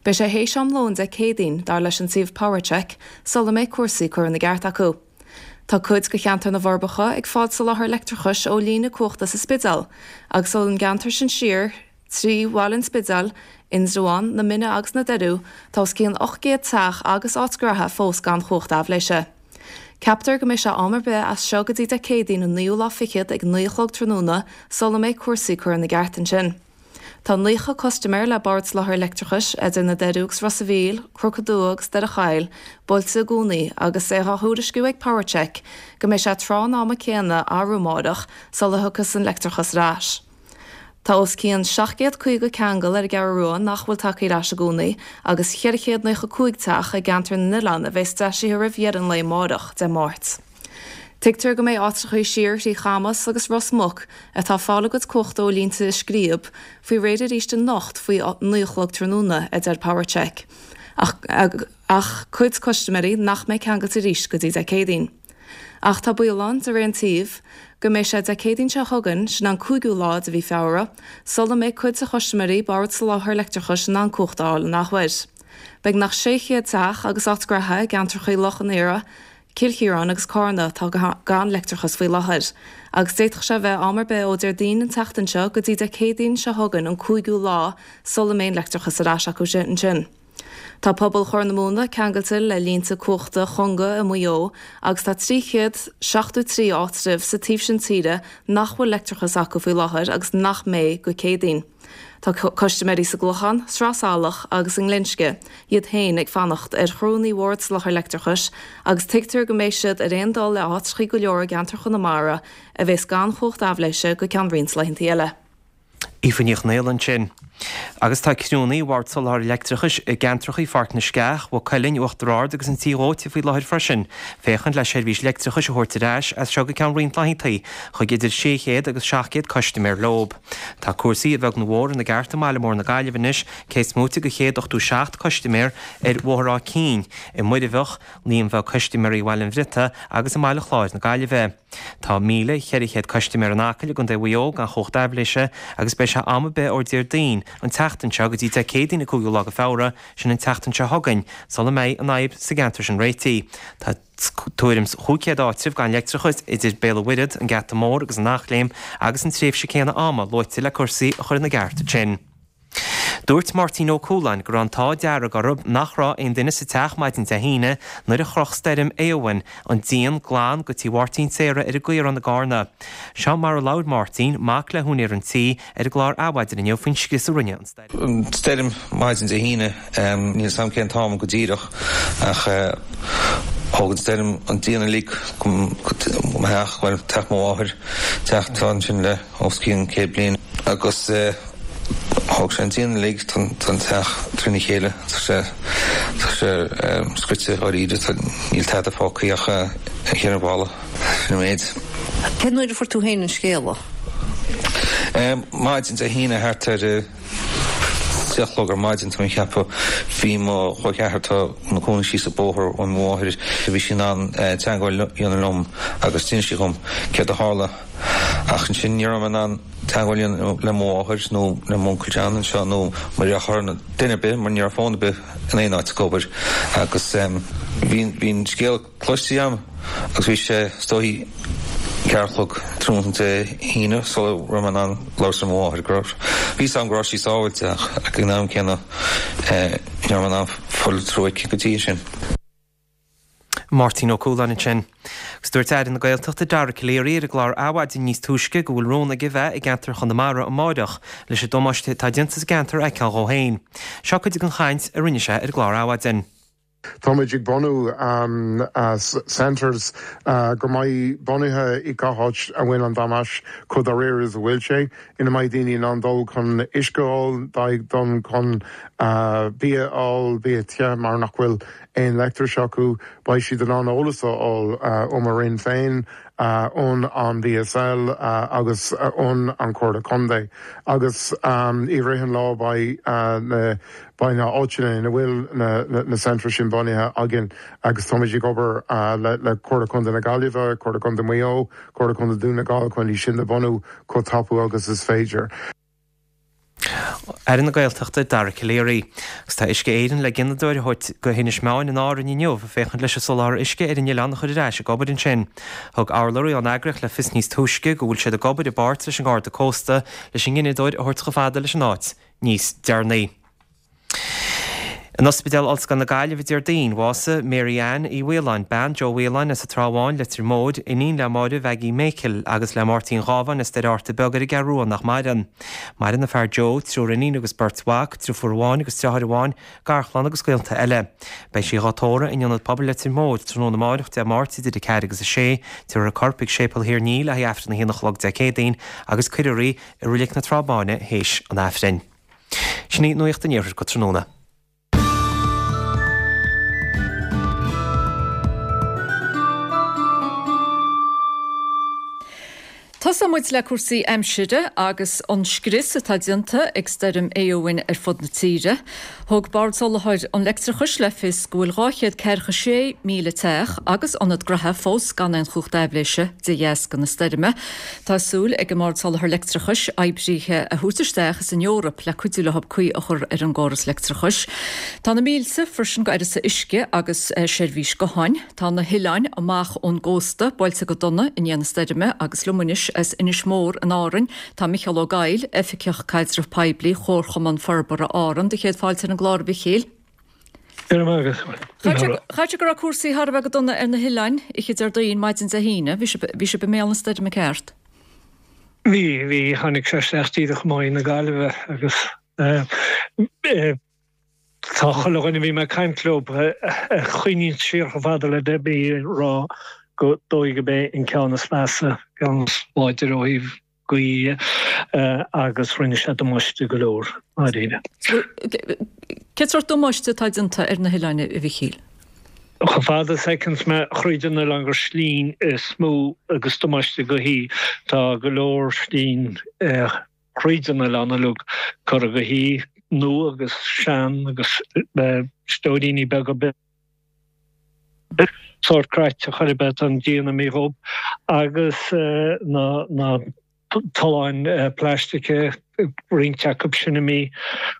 Beidh sé théis am lóin Dé Céadaoin, dar leis an suíomh PowerCheck, sula mbeidh cúrsaí curtha ina gceart acu. Tá cuid de cheantar na bhForbacha ag fáil soláthar leictreachais ó líne cumhachta sa Spidéal, agus ón gceantar sin siar, Trí Bhaile an Spidéil, Indreabhán, na Minna agus na Doiriú, tá os cionn ocht gcéad teach agus áit ghraithe fós gan chumhacht aibhléise. Ceaptar go mbeidh sé am ar bith as seo go dtí Dé Céadaoin an naoú lá fichead ag naoi a chlog tráthnóna sula mbeidh cúrsaí curtha ina gceart ansin. Tá naocha custaiméir le Bord Soláthair Leictreachais idir na Doirí agus Ros a' Mhíl, Cnoc an Dúa agus Doire Choill buailte i gcónaí agus é á thuairisciú ag PowerCheck go mbeidh sé tráth an ama céanna arú amárach sula thiocfas an leictreachas ar ais. Tá os cionn seacht gcéad caoga ceangal ar an gCeathrú Rua nach bhfuil tagtha ar ais i gcónaí agus ceithre chéad naocha cúig teach i gceantar na nOileán a bheas deisithe roimh dheireadh an lae amárach, Dé Máirt. Tuigtear go mbeidh áitreachaí siar thrí Chamas agus Ros Muc, atá ag fáil a gcuid cumhachta ó línte i Scríob, faoi réir arís anocht faoi naoi a chlog tráthnóna, a deir PowerCheck. Ach ach cuid custaiméirí nach mbeidh ceangailte arís go dtí Dé Céadaoin. Ach tá baol ann, de réir an tsuímh, go mbeidh sé Dé Céadaoin seo chugainn, sin an cúigiú lá de mhí Feabhra, sula mbeidh cuid de chustaiméirí Bord Soláthair Leictreachais in ann cumhacht a fháil an athuair. Beagnach sé chéad teach agus áit graithe i gceantracha Loch an Iora, Cill Chiaráin agus Cárna atá gan leictreachas faoi láthair, agus d'fhéadfadh sé a bheith am ar bith ó Déardaoin an tseachtain seo go dtí Dé Céadaoin seo chugainn an cúigiú lá sula mbeidh an leictreachas ar ais acu ansin. Tá pobal Chorr na Móna ceangailte le línte cumhachta Chonga i Maigh Eo agus tá trí chéad seachtó trí áitreabh sa taobh sin tíre nach bhfuil leictreachas acu faoi láthair agus nach mbeidh go Céadaoin. Tá custaiméirí sa gClochán, Sraith Salach agus i nGlinsce iad féin ag fanacht ar chriúnna Bhord Soláthair Leictreachais agus tuigtear go mbeidh siad ar aon dul le áitreachaí go leor i gceantar Chonamara a bheas gan chumhacht aibhléise go ceann roinnt laethanta eile. Aoife Ní Chonghaile ansin. Agus tá criúnna Bhord Soláthair Leictreachais i gceantracha Pháirc na Sceach, Mhaigh Cuilinn, Uachtar Ard agus an Tí Dhóite faoi láthair freisin, féachaint le seirbhís leictreachais a thabhairt ar ais as seo go ceann roinnt laethanta chuig idir sé chéad agus seacht gcéad custaiméir leob. Tá cúrsaí a bheag nó a mhór ina gceart i mbaile mór na Gaillimhe anois, cé is móite de chéad ochtó seacht custaiméir ar Bhóthar Áth Cinn, i Muirbheach, líon bheag custaiméirí i Bhaile an Bhriotaigh agus i mBaile Chláir na Gaillimhe. Tá míle cheithre chéad custaiméir in Acaill i gContae Mhaigh Eo gan chumhacht aibhléise agus beidh sé am ar bith ó Déardaoin an tseachtain seo go dtí Dé Céadaoin an cúigiú lá de Feabhra, sin an tseachtain seo chugainn, sula mbeidh an fhadhb sa gceantar sin réitithe. Tá tuairim 's chúig chéad áitreabh gan leictreachas idir Béal an Mhuirthead, an Geata Mór agus an Eachléim agus an tréimhse céanna ama luaite le cúrsaí a chur ina gceart ansin. Dúirt Máirtín Ó Cualáin go raibh an t-ádh dearg orthu nach raibh aon duine sa teach maidin Dé hAoine nuair a chroch stoirm Éowyn an díon glan go tí Mháirtín Sarah ar an gCaorán i gCarna. Seo mar a labhair Máirtín, mac le húinéir an tí, ar an gclár Adhmhaidin inniu faoin scrios a rinne an stoirm. An stoirm maidin Dé hAoine, níl 'fhios a'm cén t-am go díreach ach thóg an stoirm an díon uilig go mo theach, bhuel teach mo mháthair, teach atá ansin le os cionn céad bliain agus Thóg sé an díon uilig, tá an teach trína chéile, tá sé, tá sé scoite dháiríre, tá, níl tada fágtha ach na ceithre bhalla, sin an méid. Cén uair a fuair tú féin an scéala? Maidin Dé hAoine thart ar a deich a chlog ar maidin, tá mé ag ceapadh. Bhí mo chol ceathar atá ina cónaí síos an bóthar ó mo mháthair, bhí sí in ann teagmháil a dhéanamh liom agus d'inis sí dhom céard a tharla. Ach ansin ní raibh mé in ann teagmháil a dhéanamh le mo mháthair nó le m'uncail John anseo nó mo dheartháir nó duine ar bith mar ní raibh fón ar bith in aon áit ag obair agus bhí bhí an scéal cloiste agam agus bhí sé is dóichí ceathair a chlog tráthnóna Dé hAoine sula raibh mé in ann labhairt le mo mháthair go raibh bhí 'fhios agam go raibh sí sábháilte ach ag an am céanna ní raibh mé in ann fáil through aici go dtí sin. Máirtín Ó Cualáin ansin. Agus dúirt Aire na Gaeltachta Dara Calleary ar an gclár Adhmhaidin níos túisce go bhfuil rún aige bheith i gceantar Chonamara amáireach leis an damáiste atá déanta sa gceantar a fheiceáil dhó féin. Seo cuid den chaint a rinne sé ar an gclár Adhmhaidin. Táimid ag bunú centres go mbeidh bunaithe i gach áit a bhfuil an damáiste chomh dáiríre is a bhfuil sé, ina mbeidh daoine in ann dul chun uisce a fháil, dul chun bia a fháil, bia te mar nach bhfuil aon leictreachas acu, beidh siad in ann eolas a fháil ó mo Roinn féin, ón an BSL agus ón an Chomhairle Contae. Agus i rith an lá beidh na beidh na áiteanna ina bhfuil na na centres sin bunaithe againn agus táimid ag obair le le Comhairle Contae na Gaillimhe, Comhairle Contae Mhaigh Eo, Comhairle Contae Dún na nGall chun iad sin a bhunú chomh tapaidh agus is féidir. Aire na Gaeltachta, Dara Calleary. Agus tá Uisce Éireann le gineadóir a thabhairt go hInis Meáin in Árainn inniu, féachaint leis an soláthar uisce ar an oileán a chur ar ais ag obair ansin. Thug urlabhraí ón eagraíocht le fios níos túisce go bhfuil siad ag obair i bpáirt leis an nGarda Cósta leis an ngineadóir a thabhairt chomh fada leis an áit níos deireanaí. In Ospidéal Ollscoil na Gaillimhe Déardaoin, bhásaigh Mary Ann Uí Mhaoláin, bean Joe Mhaoláin as an Trá Bháin, Leitir Móir, iníon le Máire Mhaggie Mhichíl agus le Máirtín Ghábháin as Doire Fhatharta Beag ar an gCeathrú Rua nach maireann. Maireann a fear Joe, triúr iníon agus beirt mhac, driofúr amháin agus deartháir amháin, garchlann agus gaolta eile. Beidh sí dhá tórramh in Ionad Pobail Leitir Móir tráthnóna amárach, Dé Máirt, idir a ceathair agus a sé. Tabharfar a corp chuig Séipéal Thír an Fhia le haghaidh Aifreann a haon a chlog Dé Céadaoin agus cuirfear í i Reilig na Trá Báine théis an Aifrinn. Sin í Nuacht an Iarthair go tráthnóna. Tosóidh muid le cúrsaí aimsire agus an scrios atá déanta ag stoirm Éowyn ar fud na tíre. Thug Bord Soláthair an Leictreachais le fios go bhfuil dhá chéad ceathracha sé míle teach agus ionad graithe fós gan aon chumhacht aibhléise de dheasca na stoirme. Tá súil ag an mBord Soláthair Leictreachais oibrithe a thabhairt isteach as an Eoraip le cuidiú leo caoi a chur ar an gcóras leictreachais. Tá na mílte freisin go uireasa uisce agus seirbhís gutháin. Tá na hoileáin amach ón gcósta buailte go dona i ndiaidh na stoirme agus liom anois as Inis Mór in Árainn tá Micheál Ó Gaill, Oifigeach Caidreamh Poiblí Chomharchumann Forbartha Árann. Do chéad fáilte ar an gclár, a Mhichíl. Go raibh maith agat. Chaithfeadh sé go raibh cúrsaí thar a bheith go dona ar na hoileáin oíche Déardaoin, maidin Dé hAoine. Bhí sibh bhí sibh i mbéal na stoirme ceart? Bhí, bhí. Tháinig sé isteach díreach amuigh na Gaillimhe agus eh, tá chuile dhuine a bhí mé ag caint leo a choinníonn siar chomh fada le deich mí ag rá go dóigh go b'é an ceann is measa, ceann is láidre ó thaobh gaoithe agus rinne sé damáiste go leor, dáiríre. Cén sórt damáiste atá déanta ar na hoileáin, a Mhichíl? Chomh fada is a fheiceanns mé thríd an oileán gur slinn is mó agus damáiste gaoithe. Tá go leor slinn thríd an oileán uilig curtha go haoi, nua agus sean agus stóiríní beaga. Sórt cráite chor ar bith, tá an díon imithe dhób agus na na tolláin plaistice, roinnt acu sin imithe.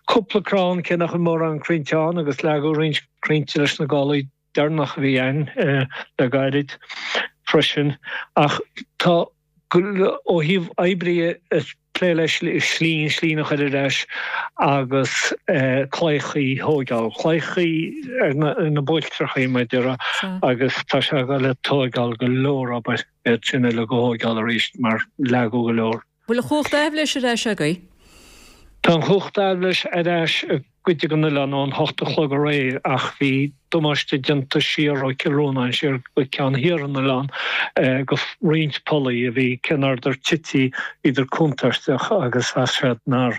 Cúpla crann, cé nach bhfuil mórán crainnte ann agus leagadh roinnt crainnte leis na gálaí deireanach a bhí ann le gairid freisin. Ach tá. Ó thaobh oibrithe ag plé le slinn, slinn a chur ar ais agus claíochaí a thóigeáil, claíochaí ar na buailtreachaí mar a déarfá agus tá sé ag dul ag tóigeáil go leor obair iad sin uilig a thóigeáil arís mar leagadh go leor. Bhfuil an chumhacht aibhléise ar ais agaibh? Tá an chumhacht aibhléise ar ais i gcuid den oileán ón hocht a chlog aréir ach bhí damáiste déanta siar ó Chill Rónáin siar go ceann thiar an oileáin go roinnt pollaí a bhí cé nach rabhadar tite bhíodar contúirteach agus mheas siad nár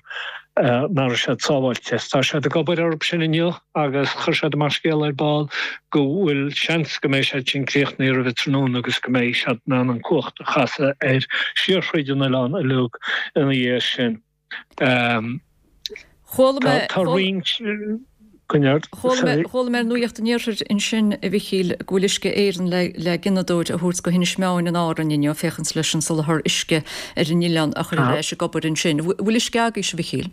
nach raibh siad sábháilte. Tá siad ag obair orthu sin inniu agus chuir siad amach scéala ar ball go bhfuil seans go mbeidh siad sin críochnaithe roimh an tráthnóna agus go mbeidh siad in ann an cumhacht a chasadh air siar thríd an oileán uilig ina dhiaidh sin. Chuala mé Tá roinnt Chuala mé chuala mé ar Nuacht an Iarthair ansin, a Mhichíl, go bhfuil Uisce Éireann le le gineadóir a thabhairt go hInis Meáin in Árainn inniu féachaint leis an soláthar uisce ar an oileán a chur ar ais ag obair ansin. Bhfuil uisce agaibhse, a Mhichíl?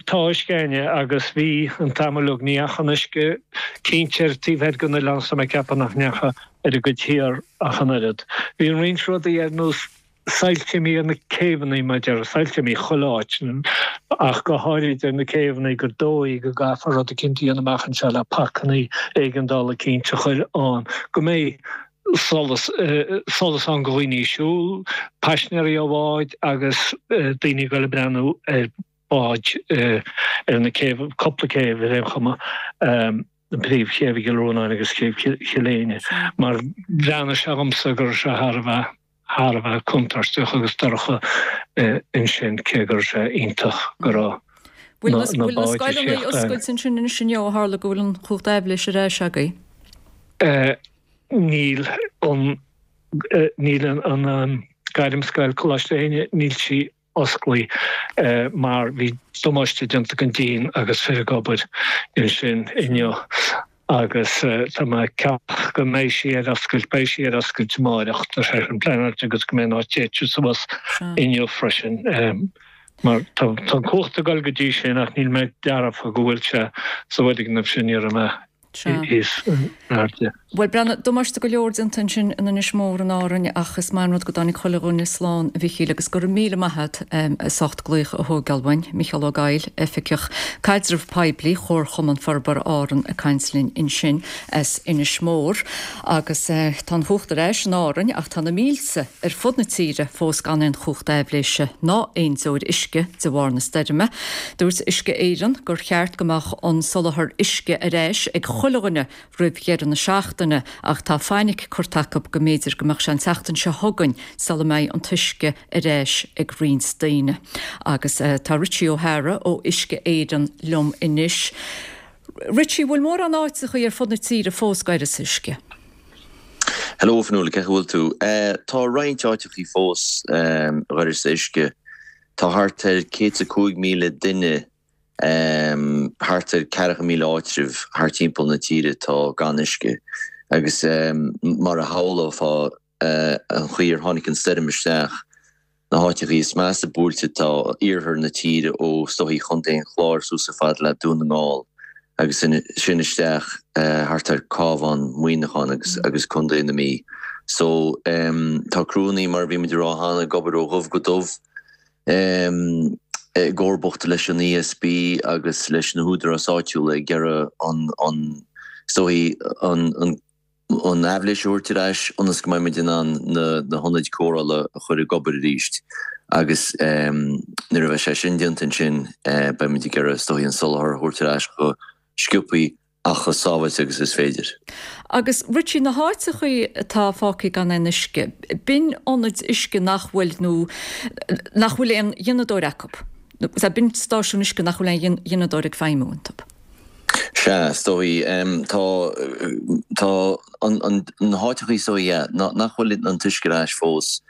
Tá uisce againne agus bhí an t-am uilig. Ní dheacha an uisce cinnte ar taobh thoir den oileán so tá mé ag ceapadh nach ndeacha ar an gcuid thiar ach an oiread. Bhí roinnt rudaí ar nós Soilse imithe ar na céibheanna, mar a déarfá, soilse imithe chuile áit, ach go háirid ar na céibheanna gur dóigh go gcaithfear rud eicínt a dhéanamh amach anseo le pacannaí éigeandála eicínt a chur ann, go mbeidh solas, solas ann go dhaoine ag siúl, paisnéirí ó bháid agus daoine ag dul ag breathnú ar bháid ar na céibh, cúpla céibh ar aon chuma. an príomhchéibh i gCill Rónáin agus céibh Chill Éinne, mar bhreathnaigh sé dhomsa go raibh sé thar a bheith, thar a bheith contúirteach agus dorcha ansin, cé go raibh sé iontach go raibh Bhfuil na, na na bhfuil na báid ag scoileanna tíocht ann. oscailte ansin anois inniu ó tharla go bhfuil an chumhacht aibhléise ar ais agaibh? Níl an, níl an, an Gairmscoil, Coláiste Éinne, níl sí osclaithe mar bhí damáiste déanta don díon agus fir ag obair ansin inniu agus tá mé ag ceapadh go mbeidh sí ar oscailt, beidh sí ar oscailt amáireach, tá sé sin pleanáilte agus go mbeidh an áit téite suas inniu freisin mar tá an cumhacht ag dul go dtí sin ach níl mé dearfa go bhfuil sé sa bhfoirgneamh sin, ní raibh mé thíos in airde. Bhuel, breathnaigh, damáiste go leor déanta ansin in Inis Mór in Árainn ach is maith an rud go dtáinig chuile dhuine slán, a Mhichíl, agus go raibh míle maith agat as ucht glaoch a thógáil uainn. Micheál Ó Gabhaill, Oifigeach Caidreamh Poiblí Chomharchumann Forbartha Árann ag caint linn ansin as Inis Mór. Agus tá an chumhacht ar ais in Árainn ach tá na mílte ar fud na tíre fós gan aon chumhacht aibhléise ná aon deoir uisce de bharr na stoirme. Dúirt Uisce Éireann gur cheart go mbeadh an soláthar uisce ar ais ag chuile dhuine roimh dheireadh na seachtaine ach tá fainic curtha acu go mb'fhéidir go mbeadh sé an tseachtain seo chugainn sula mbeidh an t-uisce ar ais ag roinnt daoine. Agus tá Richie O'Hara ó Uisce Éireann liom anois. Richie, bhfuil mórán áiteachaí ar fud na tíre fós d'uireasa uisce? Hello Fionnuala, cén chaoi a bhfuil tú? Tá roinnt áiteachaí fós d'uireasa uisce. Tá thart ar céad is a cúig míle duine, thart ar ceathracha míle áitreabh thart timpeall na tíre atá gan uisce agus mar a shamhlófá an chaoi ar tháinig an stoirm isteach, na háiteachaí is measa buailte tá iarthar na tíre ó is dóichí Chontae an Chláir suas chomh fada le Dún na nGall agus sin isteach thart ar Cabhán, Muineachán agus agus Contae na Mí. So tá criúnnaí mar a bhí muid ag rá cheana ag obair ó dhubh go dubh. I gcomharbacht leis an ESB agus leis na húdaráis áitiúla ag iarraidh an, is dóichí, an aibhléis a thabhairt ar ais ionas go mbeidh muid in ann na hionaid cóireála a chur ag obair arís agus nuair a bheidh sé sin déanta ansin beidh muid ag iarraidh, is dóichí, an soláthar a thabhairt ar ais chomh sciobthaí ach chomh sábháilte agus is féidir. Agus Richie, na háiteachaí atá fágtha gan aon uisce, b'in ionaid uisce nach bhfuil nó nach bhfuil aon ghineadóir acu, nó b'in stáisiún uisce nach bhfuil aon ghineadóir ag feidhmiú iontu. Sea, is dóigh. Tá, tá an, na háiteachaí is dóigh, yeah, nach bhfuil an t-uisce ar ais fós,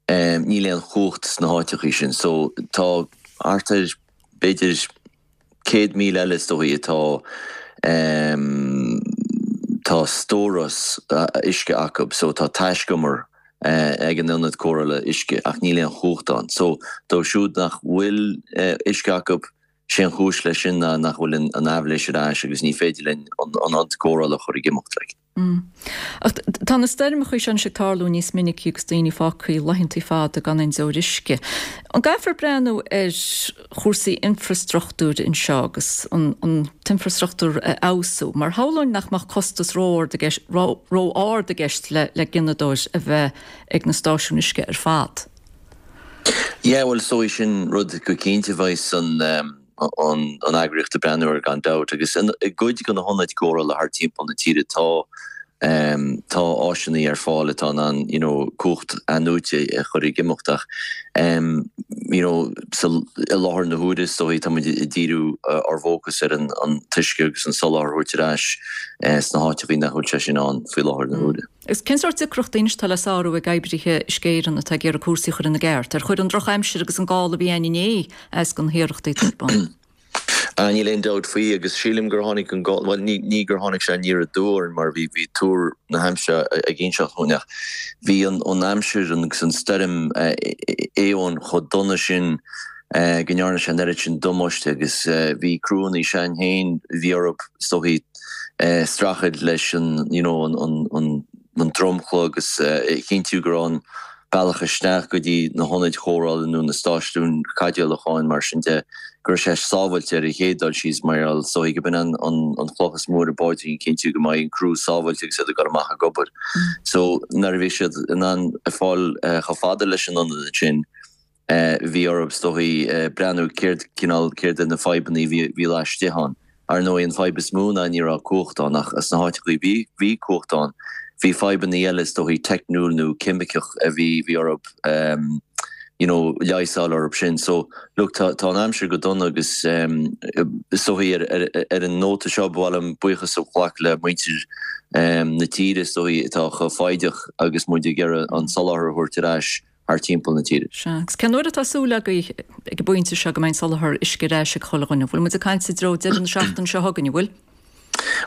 níl aon chumhacht sna háiteachaí sin. So tá thart ar, b'fhéidir, céad míle eile is dóichí atá tá stóras uisce acu so tá taiscumar ag an ionad cóireála uisce ach níl aon chumhacht ann. So dóibh siúd nach bhfuil uisce acu, sé an chúis leis sin ná nach bhfuil an aibhléis ar ais agus ní féidir linn an ionad cóireála a chur ag imeacht like. Ach tá na stoirmeacha seo anois ag tarlú níos minicí agus daoine fágtha laethanta fada gan aon deoir uisce. An gcaithfear breathnú ar chúrsaí infreastruchtúir anseo agus an t-infreastruchtúr a fheabhsú? Mar shamhlóinn nach mbeadh costas ró-ard i gceist le gineadóir a bheith ag na stáisiúin uisce ar fad. Yeah, bhuel, is dóigh sin rud go cinnte a bheidh san an eagraíocht ag breathnú air gan dabht agus i gcuid de na hionaid cóireála thart timpeall na tíre tá tá áiseanna ar fáil atá in ann you know cumhacht athnuaite a chur ag imeacht ach you know sa i láthair na huaire is dóigh tá muid ag díriú ár bhfócas ar an an t-uisce agus an soláthar a thabhairt ar ais sna háiteachaí nach bhfuil sé sin ann faoi láthair na huaire. Agus cén sórt deacrachtaí anois atá le sárú ag oibrithe Uisce Éireann atá ag iarraidh cúrsaí a chur ina gceart? Ar chuir an drochaimsir agus an gála a bhí ann inné as do na hiarrachtaí atá ar bun? Ah, níl aon dabht faoi agus sílim gur tháinig an gála, bhuel ní, ní gur tháinig sé aniar aduaidh orainn mar bhí, bhí tuar na haimsire ag inseacht dúinn ach bhí an, an aimsir agus an stoirm Éowyn chomh dona sin go ndearna sé an oiread sin damáiste agus bhí criúnna s'againn féin, bhí orthu, is dóichí, streachailt leis an, you know, an, an, an, an dromchla agus a chinntiú go raibh an bealach isteach go dtí na hionaid chóireála nó na stáisiúin caidéalúcháin mar sin de, go raibh sé sábháilte ar an chéad dul síos mar gheall is dóichí go b'in an, an, an chloch is mó ar an bpaidrín, cinntiú go mbeidh an criú sábháilte agus iad ag dul amach ag obair. So nuair a bhí siad in ann fáil chomh fada leis an ionad ansin, bhí orthu is dóichí breathnú céard cineál, céard iad na fadhbanna a bhí, bhí laistigh ann. Ar ndóigh an fadhb is mó ná ní raibh cumhacht ann ach sna háiteachaí bhí, bhí cumhacht ann, bhí fadhbanna eile is dóichí teicniúil nó ceimiceach a bhí, bhí orthu you know leigheas a fháil orthu sin. So look tá, tá an aimsir go dona agus is dóichí ar, ar, ar an nóta seo ba mhaith liom buíochas a ghlacadh le muintir na tíre is dóichí atá chomh foighdeach agus muid ag iarraidh an soláthar a thabhairt ar ais thar timpeall na tíre. Sea, agus cén uair atá súil agaibh ag an bpointe seo go mbeidh an soláthar uisce ar ais ag chuile dhuine? Bhfuil muid ag caint i dtreo deireadh na seachtaine seo chugainn, an bhfuil?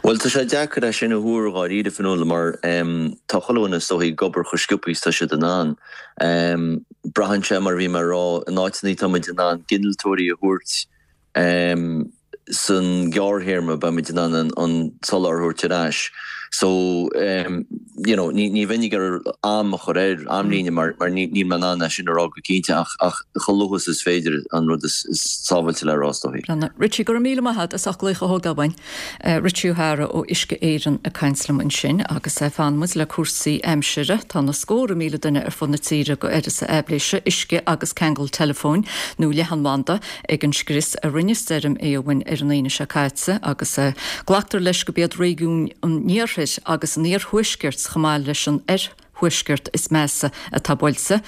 Bhuel, tá sé deacair é sin a thuar dháiríre, Fionnuala, mar tá chuile dhuine is dóichí ag obair chomh sciobtha is tá siad in ann. Braitheann sé, mar a bhí mé a rá, in áiteanna tá muid in ann gineadóirí a thabhairt, san gearrthéarma beimid in ann an soláthar a thabhairt ar ais. So um, you know, ní, ní bheinn ag iarraidh am a chur air, amlíne mar, mar ní, níl mé in ann é sin a rá go cinnte ach, ach chomh luath is is féidir an rud is, is sábháilte le rá is dóigh. Richie, go raibh míle maith agat as ucht glaoch a thógáil uainn. Richie O'Hara ó Uisce Éireann ag caint liom ansin agus fanann muid le cúrsaí aimsire. Tá na scórtha míle duine ar fud na tíre go uireasa aibhléise, uisce agus ceangal teileafóin nó leathanbhanda ag an scrios a rinne stoirm Éowyn ar an Aoine seo caite agus glactar leis gurb iad réigiún an iarthair agus an iarthuaiscirt chomh maith leis an oirthuaisceart is measa atá buailte.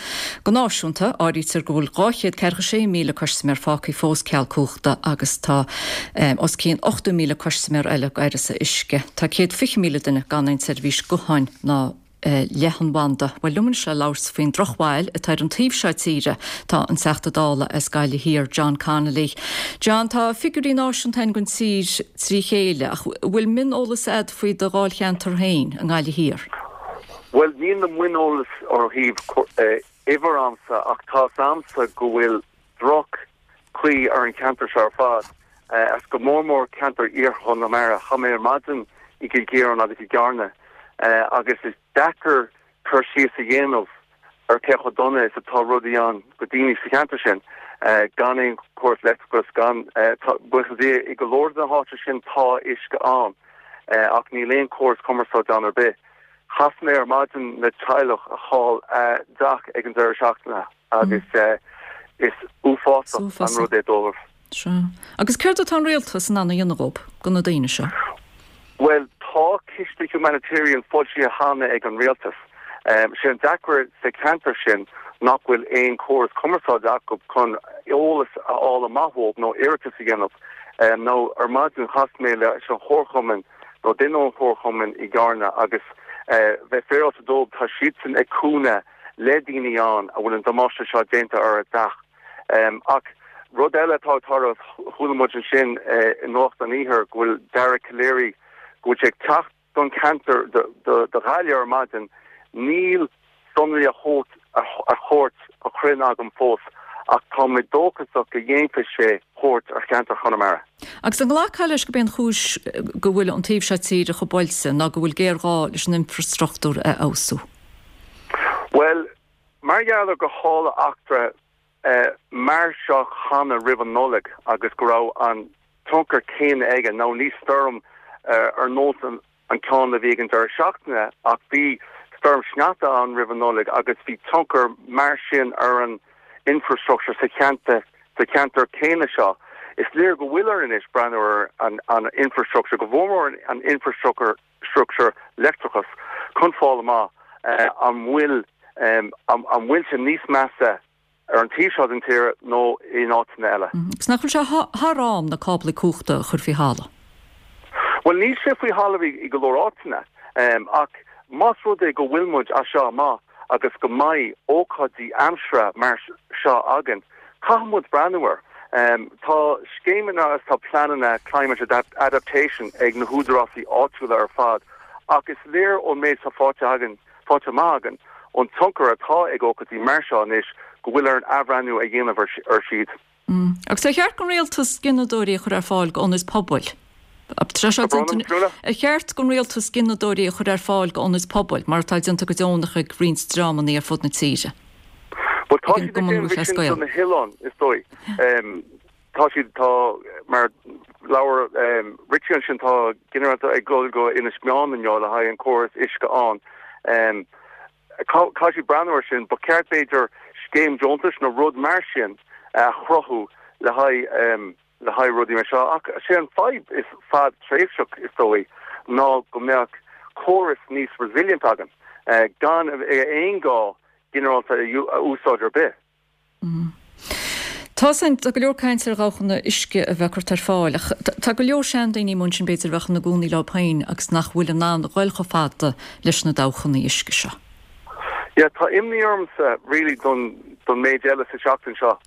Go náisiúnta, áirítear go bhfuil dhá chéad ceathracha sé míle custaiméir fágtha fós ceal cumhachta agus tá os cionn ochtó míle custaiméir eile go uireasa uisce. Tá céad fiche míle duine gan aon tseirbhís gutháin ná leathanbhanda. Bhuel liom anois le labhairt faoin drochbhail atá ar an taobh seo tíre tá an Teachta Dála as Gaillimh Thiar, John Connolly. John, tá figiúirí náisiúnta againn don tír trí chéile ach bhfuil mioneolas agat faoi do dháilcheantar féin i nGaillimh Thiar? Bhuel, níl na mioneolas ó thaobh uimhir a'msa ach tá 's a'msa go bhfuil droch-chaoi ar an cheantar seo ar fad, agus go mór mór ceantar iarthar Chonamara. Chaith mé ar maidin i gCill Chiaráin agus i gCarna agus is deacair cur síos a dhéanamh ar cé chomh dona is atá rudaí ann go daoine sa cheantar sin, gan aon chóras leictreachais, gan, buíochas le Dia, i go leor de na háiteanna sin tá uisce ann ach níl aon chóras cumarsáide ann ar bith. Chas mé ar maidin le teaghlach a chaill a dteach ag an deireadh seachtaine agus is uafásach an rud é dóibh. Sea. Agus céard atá an rialtas in ann a dhéanamh dhób, do na daoine seo? Bhuel, tá ciste humanitarian foilsithe cheana ag an rialtas. Sé an deacair sa cheantar sin nach bhfuil aon chóras cumarsáide acu chun eolas a fháil amach uathu nó iarratas a dhéanamh. Nó ar maidin chas mé leis an chomharchumann nó duine ón chomharchumann i gCarna agus bheith féaráilte dóibh tá siadsan ag cúnamh le daoine ann a bhfuil an damáiste seo déanta ar a dteach. Ach rud eile atá ag tarlú, chuala muid ansin i Nuacht an Iarthair go bhfuil Dara Calleary, go bhfuil sé ag teacht don cheantar do Ghaillimh ar maidin, níl sonraí a chuairt a chruinn agam fós ach tá mé dóchasach go dhéanfaidh sé cuairt ar cheantar Chonamara. Agus an nglacfá leis gurb é an chúis go bhfuil an taobh seo tíre chomh buailte ná go bhfuil géarghá leis an infreastruchtúr a fheabhsú? Bhuel, mar gheall ar gur tharla eachtra mar seo cheana roimh an Nollaig agus go raibh an tionchar céanna aige, nó ní stoirm ar nós an ceann a bhí ag an deireadh seachtaine ach bhí stoirm sneachta ann roimh an Nollaig agus bhí tionchar mar sin ar an infrastructure sa cheantar sa cheantar céanna seo. Is léir go bhfuil orainn anois breathnú ar an an infrastructure, go mhór mór an infrastructure structure leictreachas chun fáil amach an bhfuil an bhfuil sé níos measa ar an taobh seo den tír nó in áiteanna eile. Agus nach bhfuil sé thar am na cáblaí cumhachta a chur faoi thalamh? Bhuel, níl sé faoi thalamh i go leor áiteanna, ach más rud é go bhfuil muid as seo amach agus go mbeidh ócáidí aimsire mar seo againn, caithfidh muid breathnú air. Tá scéimeanna agus tá pleananna climate adaptation ag na húdarásaí áitiúla ar fad, ach is léir ón méid atá faighte againn, faighte amach againn, ón tionchar atá ag ócáidí mar seo anois, go bhfuil orainn athbhreithniú a dhéanamh ar siad. Agus ar cheart don rialtas gineadóirí a chur ar fáil d'ionaid pobail? Ar cheart don rialtas gineadóirí a chur ar fáil d'ionaid pobail, mar atá déanta go deonach ag roinnt dreamanna ar fud na tíre? Bhuel, tá siad ag déanamh sin do na hoileáin, is dóigh. Tá siad, tá, mar labhair Richie ansin, tá gineadóir ag dul go Inis Meáin inniu le haghaidh an córas uisce ann. Caithfidh siad breathnú air sin. Ba cheart, b'fhéidir, scéim deontais nó rud mar sin a chruthú le haghaidh le haghaidh rudaí mar seo. Ach sé an fadhb is fadtréimhseach, is dóigh, ná go mbeadh córas níos resilient againn, gan aon ghá ginearálta a úsáid ar bith. Tá san, tá go leor caint ar dhabhchanna uisce a bheith curtha ar fáil, ach tá go leor seandaoine amuigh ansin b'fhéidir a bheadh ina gcónaí leo féin agus nach bhfuil in ann a ghoil chomh fada leis na dabhchanna uisce seo. Yeah, tá imní ormsa really don don méid eile sa seachtain seo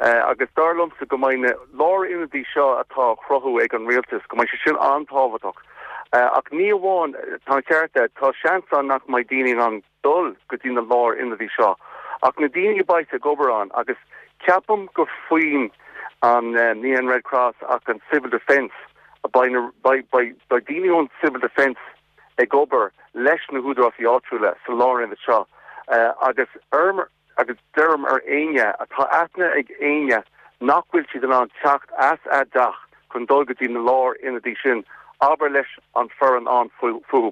agus dar liomsa go mbeidh na lárionadaí seo atá á chruthú ag an rialtas, go mbeidh sé sin an-tábhachtach. Ach ní amháin, tá an ceart agat, tá seans ann nach mbeidh daoine in ann dul go dtí na lárionadaí seo, ach na daoine a bheidh ag obair ann, agus ceapaim gur faoin an ní an Red Cross ach an Civil Defence beidh beidh daoine ón Civil Defence ag obair leis na húdaráis áitiúla sa lárionad seo agus iarraim agus deirim ar éinne atá aithne ag éinne nach bhfuil siad in ann teacht as a dteach chun dul go dtí na lárionadaí sin, abair leis an foireann ann fúthu.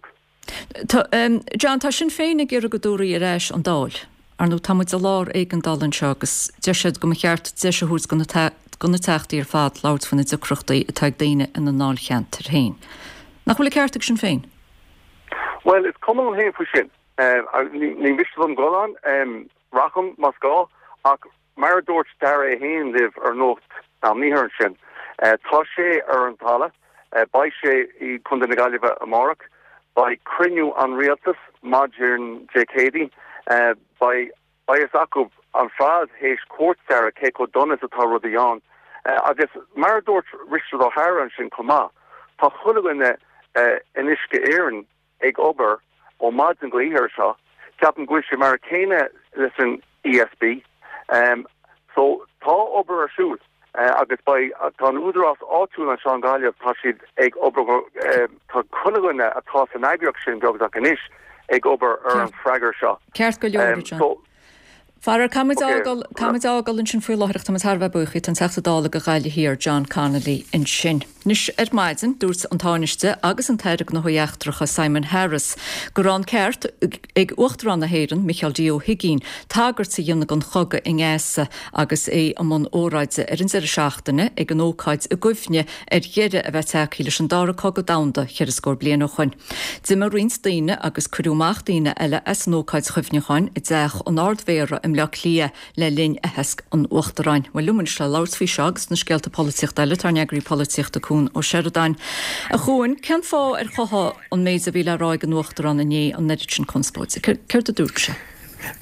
John, tá Sinn Féin ag iarraidh go dtabharfaí ar ais an Dáil. Ar ndóigh, tá muid i lár éigeandáil anseo agus deir siad go mba cheart deis a thabhairt do na teachtaí ar fad labhairt faoi na deacrachtaí atá ag daoine ina ndáilcheantair féin. Nach bhfuil an ceart ag Sinn Féin? Bhuel, is cuma liom féin faoi sin. Ní miste liom dul ann, rachaim más gá, ach mar a dúirt Dara é féin libh ar Nuacht an Iarthair ansin, tá sé ar an talamh, beidh sé i gContae na Gaillimhe amárach, beidh cruinniú an rialtais maidin Dé Céadaoin, beidh a fhios acu ar fad théis cuairt Dara cé chomh dona is atá rudaí ann. Agus mar a dúirt Richard O'Hara ansin chomh maith, tá chuile dhuine in Uisce Éireann ag obair ó maidin go oíche air seo, ceapaim go bhfuil sé mar a chéanna leis an ESB. So tá obair ar siúl agus beidh, tá an údarás áitiúil anseo i nGaillimh, tá siad ag obair, tá chuile dhuine atá san eagraíocht sin beagnach anois ag obair ar an freagra seo. Ceart go leor, John. Faraor, caithfimid fhágáil, caithfimid fhágáil ansin faoi láthair ach táimid thar a bheith buíoch díot, an Teachta Dála do Ghaillimh Thiar, John Connolly ansin. Anois ar maidin, dúirt an Tánaiste agus an tAire Gnóthaí Eachtracha Simon Harris go raibh an ceart ag Uachtarán na hÉireann, Micheál D. Ó hUigínn, tagairt a dhéanamh don chogadh i nGaza agus é i mbun óráide ar an deireadh seachtaine ag an ócáid i gcuimhne ar dheireadh a bheith tagtha leis an Dara Cogadh Domhanda cheithre scór bliain ó shoin. D'imigh roinnt daoine agus cuireadh amach daoine eile as an ócáid chuimhneacháin i dTeach an Ard-Mhéara i mBleá Cliath le linn aitheasc an Uachtaráin. Bhuel, liom anois le labhairt faoi seo agus na scéalta polaitíochta eile, tá ár n-eagraí polaitíochta Cuan Ó Seireadáin. A Chuain, cén fáth ar chothaigh an méid a bhí le rá ag an Uachtarán inné an oiread sin conspóide? Céard a dúirt sé?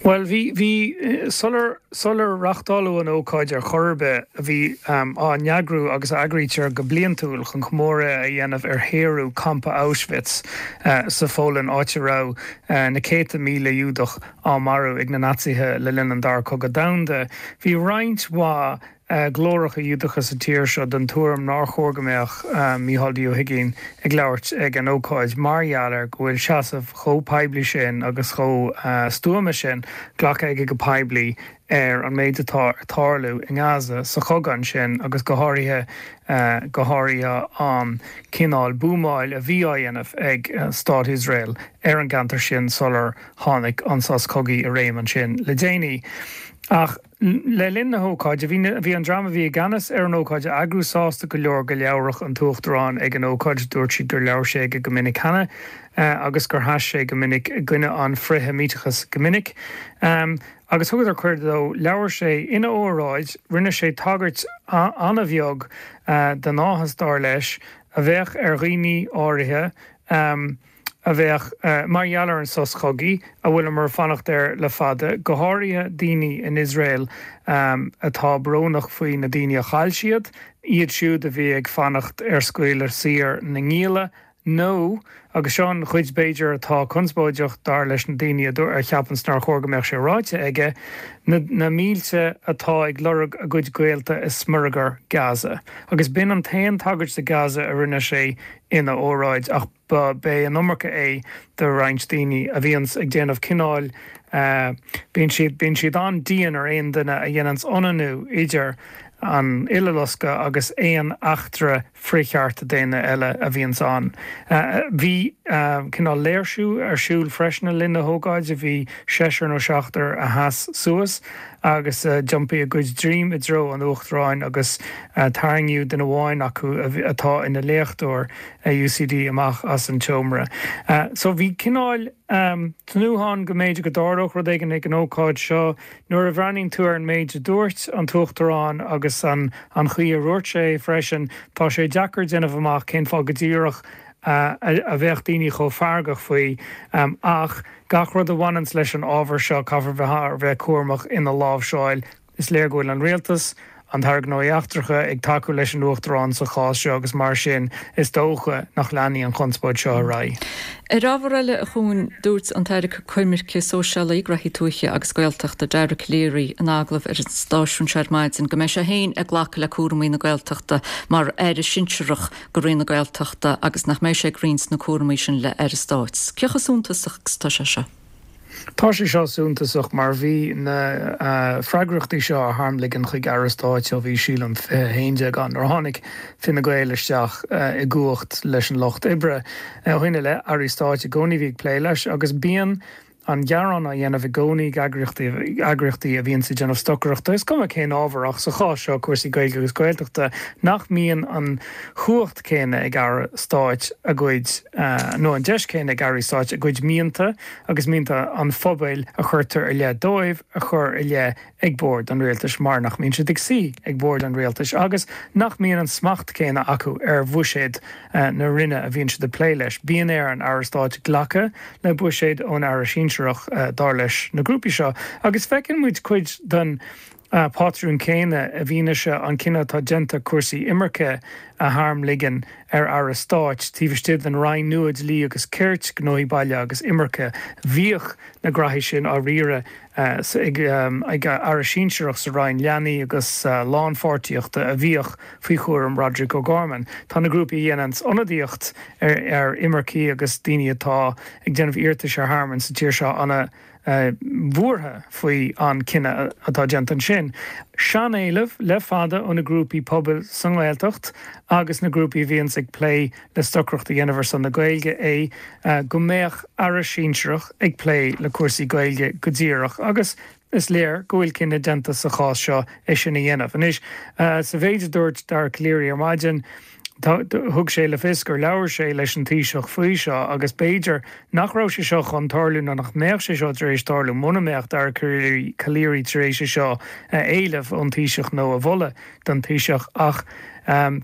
Bhuel, bhí, bhí, sular, sular reachtáladh an ócáid ar chor ar bith, a bhí á n-eagrú agus a eagraítear go bliantúil chun comóradh a dhéanamh ar shaoradh campa Auschwitz sa Pholainn, áit a raibh na céadta míle Giúdach á marú ag na Naitsithe le linn an Dara Cogadh Domhanda. Bhí roinnt mhaith glóracha Giúdacha sa tír seo den tuairim nár chóir go mbeadh Micheál D. Ó hUigínn ag labhairt ag an ócáid mar gheall ar go bhfuil seasamh chomh poiblí sin agus chomh stuama sin glactha aige go poiblí ar an méid atá ag tarlú i nGaza sa chogadh ansin agus go háirithe go háirithe an cineál buamáil a bhí á dhéanamh ag Stát Iosrael ar an gceantar sin sular tháinig an sos cogaidh i réim ansin le déanaí. Ach le linn na hócáide, bhí bhí an dream a bhí i gceannas ar an ócáid a eagrú sásta go leor go labhródh an tUachtarán ag an ócáid. Dúirt siad gur labhair sé aige go minic cheana agus gur sheas sé go minic i gcoinne an frith-Sheimíteachas go minic. Agus thugadar cuireadh dó. Labhair sé ina óráid, rinne sé tagairt an-bheag den áthas, dar leis, a bheadh ar dhaoine áirithe, a bheadh mar gheall ar an sos cogaidh a bhfuileamar ag fanacht air le fada, go háirithe daoine in Iosrael atá brónach faoi na daoine a chaill siad, iad siúd a bhí ag fanacht ar scaoileadh saor na ngialla, nó, agus seo an chuid b'fhéidir atá conspóideach dar leis na daoine a cheapanns nár chóir go mbeadh sé ráite aige, na na mílte atá ag lorg a gcuid gaolta i smionagar Gaza. Agus b'in an t-aon tagairt do Gaza a rinne sé ina óráid, ach ba b'é an iomarca é do roinnt daoine a bhíonns ag déanamh cineáil, bíonn siad, bíonn siad an-dian ar aon duine a dhéananns ionannú idir an Uileloscadh agus aon eachtra frith-chearta daonna eile a bhíonns ann. Bhí cineál léirsiú ar siúl freisin le linn na hócáide, bhí seisear nó seachtar a sheas suas agus d'iompaigh a gcuid droim i dtreo an Uachtaráin agus tarraingíodh duine amháin acu atá ina léachtóir i UCD amach as an tseomra. So bhí cineál tnúthán go mb'fhéidir go dtarlódh rud éigin ag an ócáid seo. Nuair a bhreathnaíonn tú ar an méid a dúirt an tUachtarán agus an an chaoi a dhúirt sé freisin, tá sé deacair déanamh amach cén fáth go díreach a bheadh daoine chomh feargach faoi. Ach gach rud a bhaineanns leis an ábhar seo, caithfear bheith thar a bheith cúramach ina láimhseáil. Is léir go bhfuil an rialtas, an tAire Gnóthaí Eachtracha ag tacú leis an Uachtarán sa chás seo agus mar sin is dócha nach leanfaidh an chonspóid seo ar aghaidh. Ar ábhar eile, a Chuain, dúirt an tAire Coimirce Sóisialaí, Graithí Tuaithe agus Gaeltachta, Dara Calleary in agallamh ar an stáisiún seo ar maidin go mbeidh sé féin ag glacadh le cúramaí na Gaeltachta mar Aire Sinsearach go Roinn na Gaeltachta agus nach mbeidh sé ag roinnt na cúramaí sin le Aire Stáit. Cé chomh suntasach agus atá sé seo? Tá sé seo suntasach mar bhí na freagrachtaí seo á tharmligean chuig Aire Stáit ó bhí sílim fiche a haon déag ann nuair a tháinig Fine Gael isteach i gcumhacht leis an Lucht Oibre. Ó shin i leith, Airí Stáit i gcónaí a bhí ag plé leis agus bíonn an gearán á dhéanamh i gcónaí ag eagraíochtaí a bhíonns ag déanamh stocaireachta, is cuma cén ábhar ach sa chás seo cúrsaí Gaeilge agus Gaeltachta, nach mbíonn an chumhacht céanna ag Aire Stáit a gcuid, nó an deis céanna ag Airí Stáit a gcuid mianta agus mianta an phobail a chuirtear i leith dóibh a chur i leith ag bord an rialtais mar nach mbíonn siad ag suí ag bord an rialtais agus nach mbíonn an smacht céanna acu ar bhuiséad na Roinne a bhíonn siad ag plé leis. Bíonn ar an Aire Stáit glacadh le buiséad ón Aire Sinsearach, dar leis na grúpaí seo. Agus feiceann muid cuid den pátrún céanna i bhfianaise an cinneadh atá déanta cúrsaí imirce a tharmligean ar Aire Stáit taobh istigh den Roinn nua Dlí agus Cirt, Gnóthaí Baile agus Imirce. Bhíodh na graithí sin á riaradh ag Aire Sinsearach sa Roinn Leanaí agus Lánpháirtíochta a bhíodh faoi chúram Roderic O'Gorman. Tá na grúpaí a dhéananns ionadaíocht ar imircigh agus daoine atá ag déanamh iarratais ar thearmann sa tír seo ana bhuartha faoi an cinneadh atá déanta ansin. Sean-éileamh le fada ó na grúpaí pobail sa nGaeltacht agus na grúpaí a bhíonns ag plé le stocaireacht a dhéanamh ar son na Gaeilge é go mbeadh Aire sinsearach ag plé le cúrsaí Gaeilge go díreach agus is léir go bhfuil cinneadh déanta sa chás seo é sin a dhéanamh. Anois, sa mhéid a dúirt Dara Calleary ar maidin, Thug sé le fios gur labhair sé leis an Taoiseach faoi seo agus b'fhéidir nach raibh sé seo chun tarlú nó nach mbeadh sé seo tar éis tarlú muna mbeadh Dara Calleary tar éis é seo a éileamh ón Taoiseach nó a mholadh don Taoiseach ach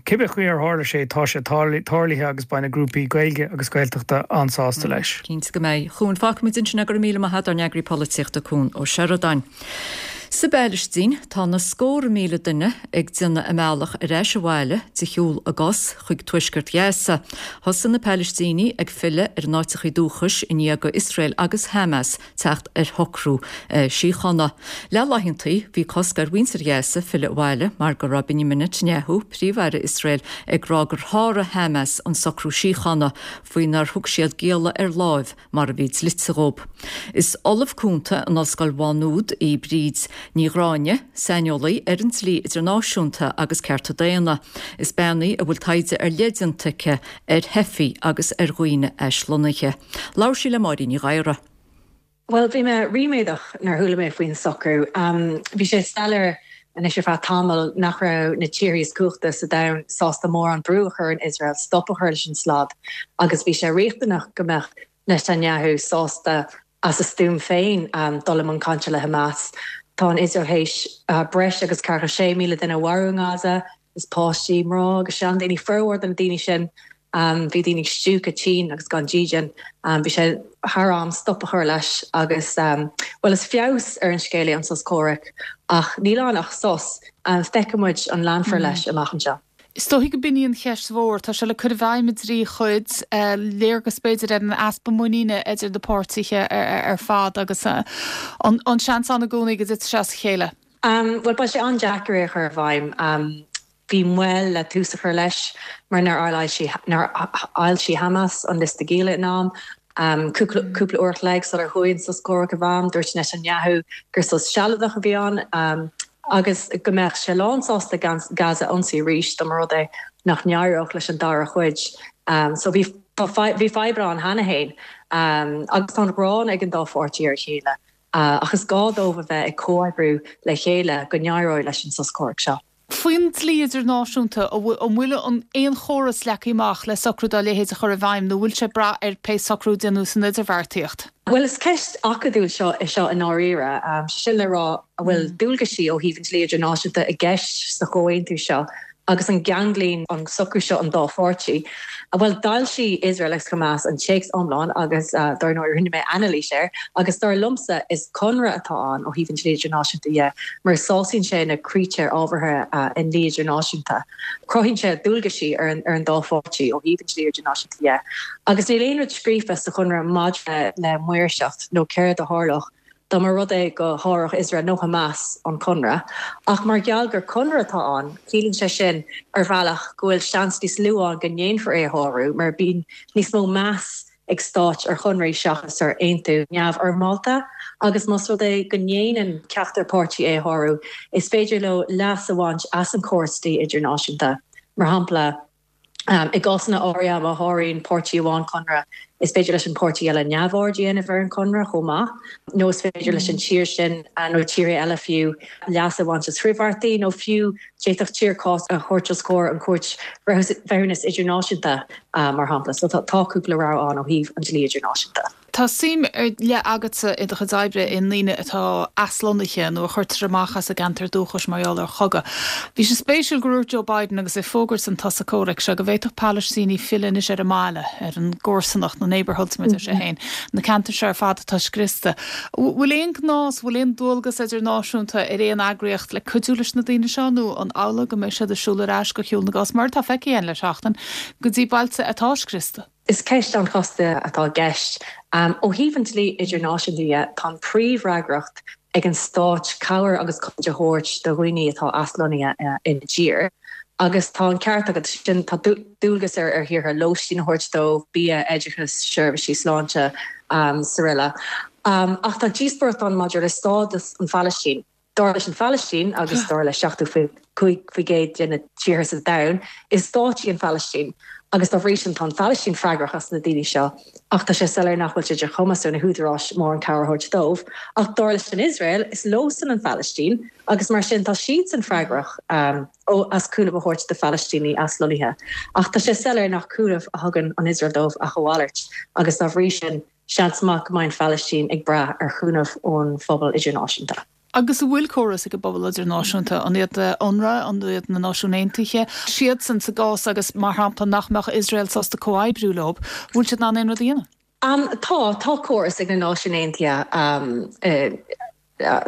cibé chaoi ar tharla sé tá sé tarlaithe agus beidh na grúpaí Gaeilge agus Gaeltachta an-sásta leis. Cinnte go mbeidh. Chuan, fágfaimid ansin é, go raibh míle maith agat, ár n-eagraí polaitíochta Cuan Ó Seireadáin. Sa bPailistín, tá na scórtha míle duine ag déanamh a mbealach ar ais abhaile de shiúl a gcos chuig tuaisceart Ghaza. Thosaigh na Palaistínigh ag filleadh ar a n-áiteachaí dúchais i ndiaidh do Iosrael agus Hamas teacht ar shocrú síochána. Le laethantaí, bhí cosc ar mhuintir Ghaza filleadh abhaile mar go raibh Benjamin Netanyahu, Príomh-Aire Iosrael, ag rá gur sháraigh Hamas an socrú síochána faoinar thug siad gialla ar láimh mar a bhí dlite dhóibh. Is Ollamh Cúnta in Ollscoil Mhá Nuad í Bríd Ní Ghráinne, saineolaí ar an dlí idirnáisiúnta agus cearta daonna. Is bean í a bhfuil taighde ar leith déanta aici ar theifigh agus ar dhaoine aislonnaithe. Labhair sí le Máirín Ní Ghadhra. Bhuel, bhí mé ríméadach nuair a chuala mé faoin socrú. Bhí sé soiléir anois ar feadh tamaill nach raibh na tíortha is cumhachta sa domhan sásta mórán brú a chur ar Iosrael stop a chur leis an slad agus bhí sé riachtanach go mbeadh Netanyahu sásta as a stuaim féin dul i mbun cainte le Hamas. Tá an Iosrael théis breis agus ceathracha sé míle duine a mharú i nGaza. Is páistí, mná agus seandaoine formhór de na daoine sin. Bhí daoine stiúgtha tinn agus gan dídean. Bhí sé thar am stop a chur leis agus, bhuel, is feabhas ar an scéal é an sos comhraic ach níl ann ach sos. Feicfidh muid an leanfar leis amach anseo. Is dóichí go b'in í an cheist mhór. Tá sé le cur i bhfeidhm i dtrí chuid, léargas b'fhéidir ar an easpa muiníne idir na páirtithe ar fad agus an seans ann i gcónaí go dtitfidh sé as a chéile. Bhuel, beidh sé an-deacair é a chur i bhfeidhm. Bhí moill le tús a chur leis mar nár fhoilsigh Hamas an liosta gialla in am. Cúpla uair a chloig sular chuaigh an sos comhraic i bhfeidhm, dúirt Netanyahu gur sos sealadach a bhí ann agus go mbeadh sé lánsásta Gaza a ionsaí arís dá mba rud é nach n-éireodh leis an dara cuid. So bhí bhí fadhbanna ann cheana féin agus tá an ghráin ag an dá pháirtí ar a chéile ach is gá dóibh a bheith ag comhoibriú le chéile go n-éireoidh leis an sos comhraic seo. Faoin dlí idirnáisiúnta, an bhfuil aon chóras leagtha amach le socrú dá leithéid a chur i bhfeidhm nó bhfuil sé ag brath ar pé socrú a déanadh san idirbheartaíocht? Bhuel, is ceist acadúil seo é seo i ndáiríre. Sé sin le rá, an bhfuil dualgaisí ó thaobh an dlí idirnáisiúnta i gceist sa chomhaontú seo? Agus an gceanglaíonn an socrú seo an dá pháirtí? Bhuel, d'fhoilsigh Iosrael agus Hamas an téacs iomlán agus dar ndóigh rinne mé anailís air agus dar liomsa is conradh atá ann ó thaobh an dlí idirnáisiúnta dhe mar sásaíonn sé na critéir ábhartha i ndlí idirnáisiúnta. Cruthaíonn sé dualgaisí ar an ar an dá pháirtí ó thaobh an dlí idirnáisiúnta dhe. Agus níl aon rud scríofa sa chonradh maidir le maoirseacht nó céard a tharlódh dá mba rud é go sháródh Iosrael nó Hamas an conradh. Ach mar gheall gur conradh atá ann, ciallaíonn sé sin ar bhealach go bhfuil seans níos lú ann go ndéanfar é a shárú mar bíonn níos mó meas ag stáit ar chonraí seachas ar aontú neamhfhoirmeálta agus más rud é go ndéanann ceachtar páirtí é a shárú, is féidir leo leas a bhaint as an chóras dlí idirnáisiúnta. Mar shampla. I gcásanna áirithe, má sháraíonn páirtí amháin conradh, is féidir leis an bpáirtí eile neamhaird a dhéanamh ar an chonradh chomh maith, nó is féidir leis an tír sin, nó tíortha eile fiú, leas a bhaint as frithbheartaí, nó fiú d'fhéadfadh tír cás a thabhairt os comhair an Chúirt Bhreithiúnas Idirnáisiúnta, mar shampla. So tá cúpla rogha ann ó thaobh an dlí idirnáisiúnta. Tá suim ar leith agatsa i do chuid oibre i ndaoine atá aslonnaithe nó a chuirtear amach as a gceantar dúchais mar gheall ar chogadh. Bhí sé spéisiúil gur dhúirt Joe Biden agus é ag fógairt an tsosa comhraic seo go bhféadfadh Palaistínigh filleadh anois ar a mbaile, ar an gcomharsanacht, na neighbourhoods mar a deir sé féin, na ceantair seo ar fad atá scriosta. Bhfuil aon ghnás, bhfuil aon dualgas idirnáisiúnta ar aon eagraíocht le cuidiú leis na daoine seo nó an amhlaidh go mbeidh siad ag siúl ar ais go shiúl na gcos, mar atá feicthe againn le seachtain, go dtí bailte atá scriosta? Is ceist an-chasta atá i gceist. Ó thaobh an dlí idirnáisiúnta dhe, tá an príomhfhreagracht ag an stáit cabhair agus cosaint a thabhairt do dhaoine atá aslonnaithe ina dtír. Agus tá an ceart agat sin, tá dualgas ar thíortha lóistín a thabhairt dóibh, bia, oideachas, seirbhísí sláinte, srl. Ach tá díospóireacht ann maidir le stádas an Phalaistín. Dar leis an Phalaistín, agus dar le seachtó cúig faoi gcéad de na tíortha sa domhan, is stát í an Phalaistín agus dá bhrí sin tá an Phalaistín freagrach as na daoine seo ach tá sé soiléir nach bhfuil sé de chumas ar na húdaráis mórán cabhair a thabhairt dóibh. Ach dar leis an Iosrael, is leosan an Phalaistín agus mar sin tá siadsan freagrach as cúnamh a thabhairt do Phalaistínigh aslonnaithe. Ach tá sé soiléir nach cúnamh a thugann an Iosrael dóibh ach a mhalairt agus dá bhrí sin seans maith go mbeidh an Phalaistín ag brath ar chúnamh ón phobal idirnáisiúnta. Agus an bhfuil córas ag an bpobal idirnáisiúnta, an iad UNRWA, an iad na Náisiúin Aontaithe, siadsan sa gcás agus mar shampla nach mbeadh Iosrael sásta comhoibriú leo, bhfuil siad in ann aon rud a dhéanamh? Tá, tá córas ag na Náisiúin Aontaithe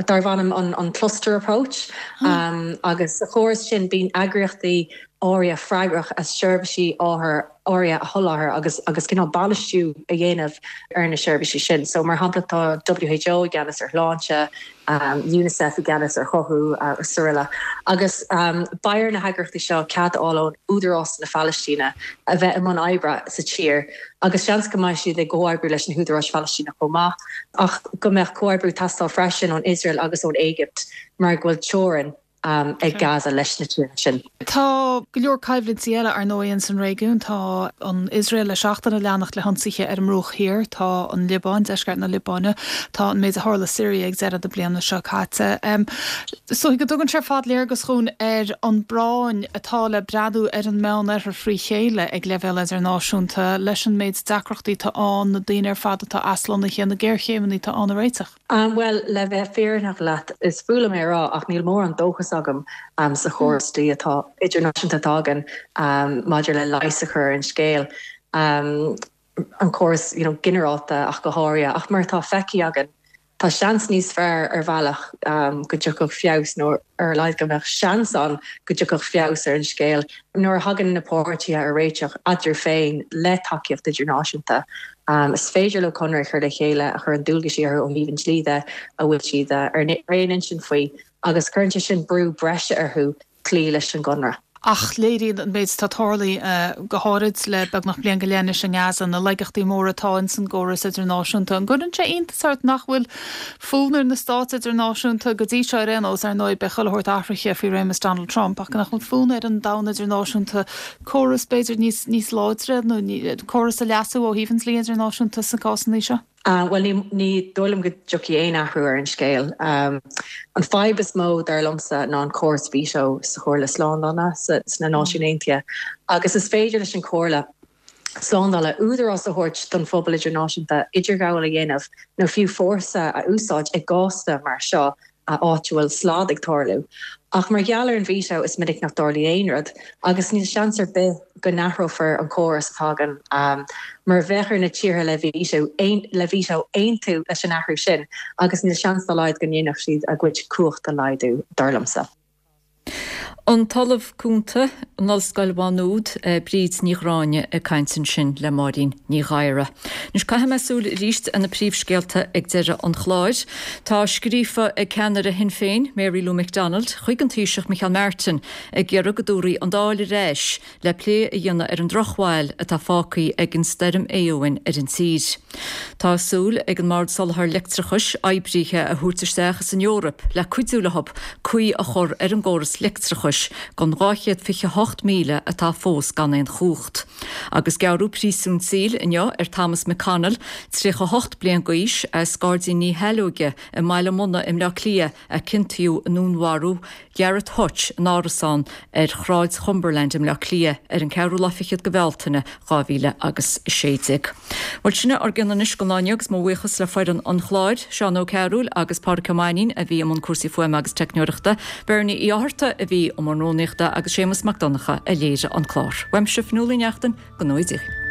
darb ainm an cluster approach agus sa chóras sin bíonn eagraíochtaí áirithe freagrach as seirbhísí áirithe a sholáthar agus agus cineál bainistiú a dhéanamh ar na seirbhísí sin. So mar shampla tá WHO i gceannas ar shláinte, UNICEF i gceannas ar chothú srl. Agus beidh ar na heagraíochtaí seo cead a fháil ón Údarás na Palaistíne a bheith i mbun oibre sa tír agus seans go mbeidh siad ag comhoibriú leis na húdaráis Phalaistíneach chomh maith ach go mbeadh comhoibriú ag teastáil freisin ón Iosrael agus ón Éigipt mar go bhfuil teorainn ag Gaza leis na tíortha sin. Tá go leor coimhlintí eile, ar ndóigh, ins an réigiún. Tá an Iosrael le seachtain ag leanacht le hionsaithe ar an mBruach Thiar, tá an Liobáin, deisceart na Liobáine, tá an méid a tharla i Siria ag deireadh na bliana seo caite. Is dóigh go dtugann sé ar fad léargas dhúinn ar an bpráinn atá le breathnú ar an Meánoirthear frí chéile ag leibhéal idirnáisiúnta leis an méid deacrachtaí atá ann, na daoine ar fad atá aslonnaithe, na géarchéimeanna atá ann a réiteach. Bhuel, le bheith fírinneach leat, is fuath liom é a rá ach níl mórán dóchas agam sa chóras dlí atá idirnáisiúnta atá againn maidir le leigheas a chur ar an scéal, an córas you know ginearálta ach go háirithe. Ach mar atá feicthe againn, tá seans níos fearr ar bhealach go dtiocfadh feabhas nó ar a laghad go mbeadh seans ann go dtiocfadh feabhas ar an scéal nuair a thagann na páirtithe ar réiteach eatarthu féin le tacaíocht idirnáisiúnta. Is féidir leo conradh a chur le chéile a chuireann dualgaisí orthu ó thaobh an dlí de a bhfuil siad ar aon intinn faoi agus cuireann sé sin brú breise orthu cloí leis an gconradh. Ach léiríonn an méid atá tarlaithe, go háirid le beagnach bliain go leith anois i nGaza, na laigeachtaí móra atá ins an gcóras idirnáisiúnta. An gcuireann sé iontas ort nach bhfuil fonn ar na stáit idirnáisiúnta, go dtí seo ar aon nós, ar ndóigh beidh chuile shórt athraithe faoi réimeas Donald Trump, ach nach bhfuil fonn ar an domhan idirnáisiúnta córas b'fhéidir níos níos láidre nó córas a leasú ó thaobh an dlí idirnáisiúnta sna cásanna seo? Bhuel, ní dóigh liom go dtiocfaidh aon athrú ar an scéal. An fadhb is mó, dar liomsa, ná an córas veto sa Chomhairle Slándála sna Náisiúin Aontaithe. Agus is féidir leis an Chomhairle Slándála údarás a thabhairt don phobal idirnáisiúnta idirghabháil a dhéanamh nó fiú fórsa a úsáid i gcásanna mar seo, áit a bhfuil slad ag tarlú. Ach mar gheall ar an veto is minic nach dtarlaíonn aon rud agus níl seans ar bith go n-athrófar an córas atá againn mar bheadh ar na tíortha le veto le veto aontú leis an athrú sin agus níl seans dá laghad go ndéanfadh siad a gcuid cumhacht a laghdú, dar liomsa. An tOllamh Cúnta in Ollscoil Mhá Nuad, Bríd Ní Ghráinne ag caint ansin le Máirín Ní Ghadhra. Anois caithfidh mé súil arís ar na príomhscéalta ag deireadh an chláir. Tá scríofa ag ceannaire Shinn Féin, Mary Lou McDonald, chuig an Taoiseach Micheál Martin ag iarraidh go dtabharfaí an Dáil ar ais le plé a dhéanamh ar an drochbhail atá fágtha ag an stoirm Éowyn ar an tír. Tá súil ag an mBord Soláthair Leictreachais oibrithe a thabhairt isteach as an Eoraip le cuidiú leo caoi a chur ar an gcóras leictreachais don dhá chéad fiche hocht míle atá fós gan aon chumhacht. Agus gearradh príosún saoil inniu ar Thomas McConnell, tríocha hocht bliain d'aois, as Gairdín na hAilleoige i mBaile Munna i mBleá Cliath a ciontaíodh i ndúnmharú Gareth Hutch in árasán ar Shráid Chumberland i mBleá Cliath ar an ceathrú lá fichead de Bhealtaine dhá mhíle agus a sé déag. Bhuel sin ár gcion anois don lá inniu agus mo bhuíochas le foireann an chláir, Seán Ó Cearúil agus Pádraic Ó Mainnín a bhí i mbun cúrsaí fuaime agus teicneoireachta, Bernie Uí Fhátharta a bhí i mbun rúnaíochta agus Séamus Mac Donncha a léirigh an clár. Uaimse Fionnuala Ní Neachtain, go ngnóthaí Dia.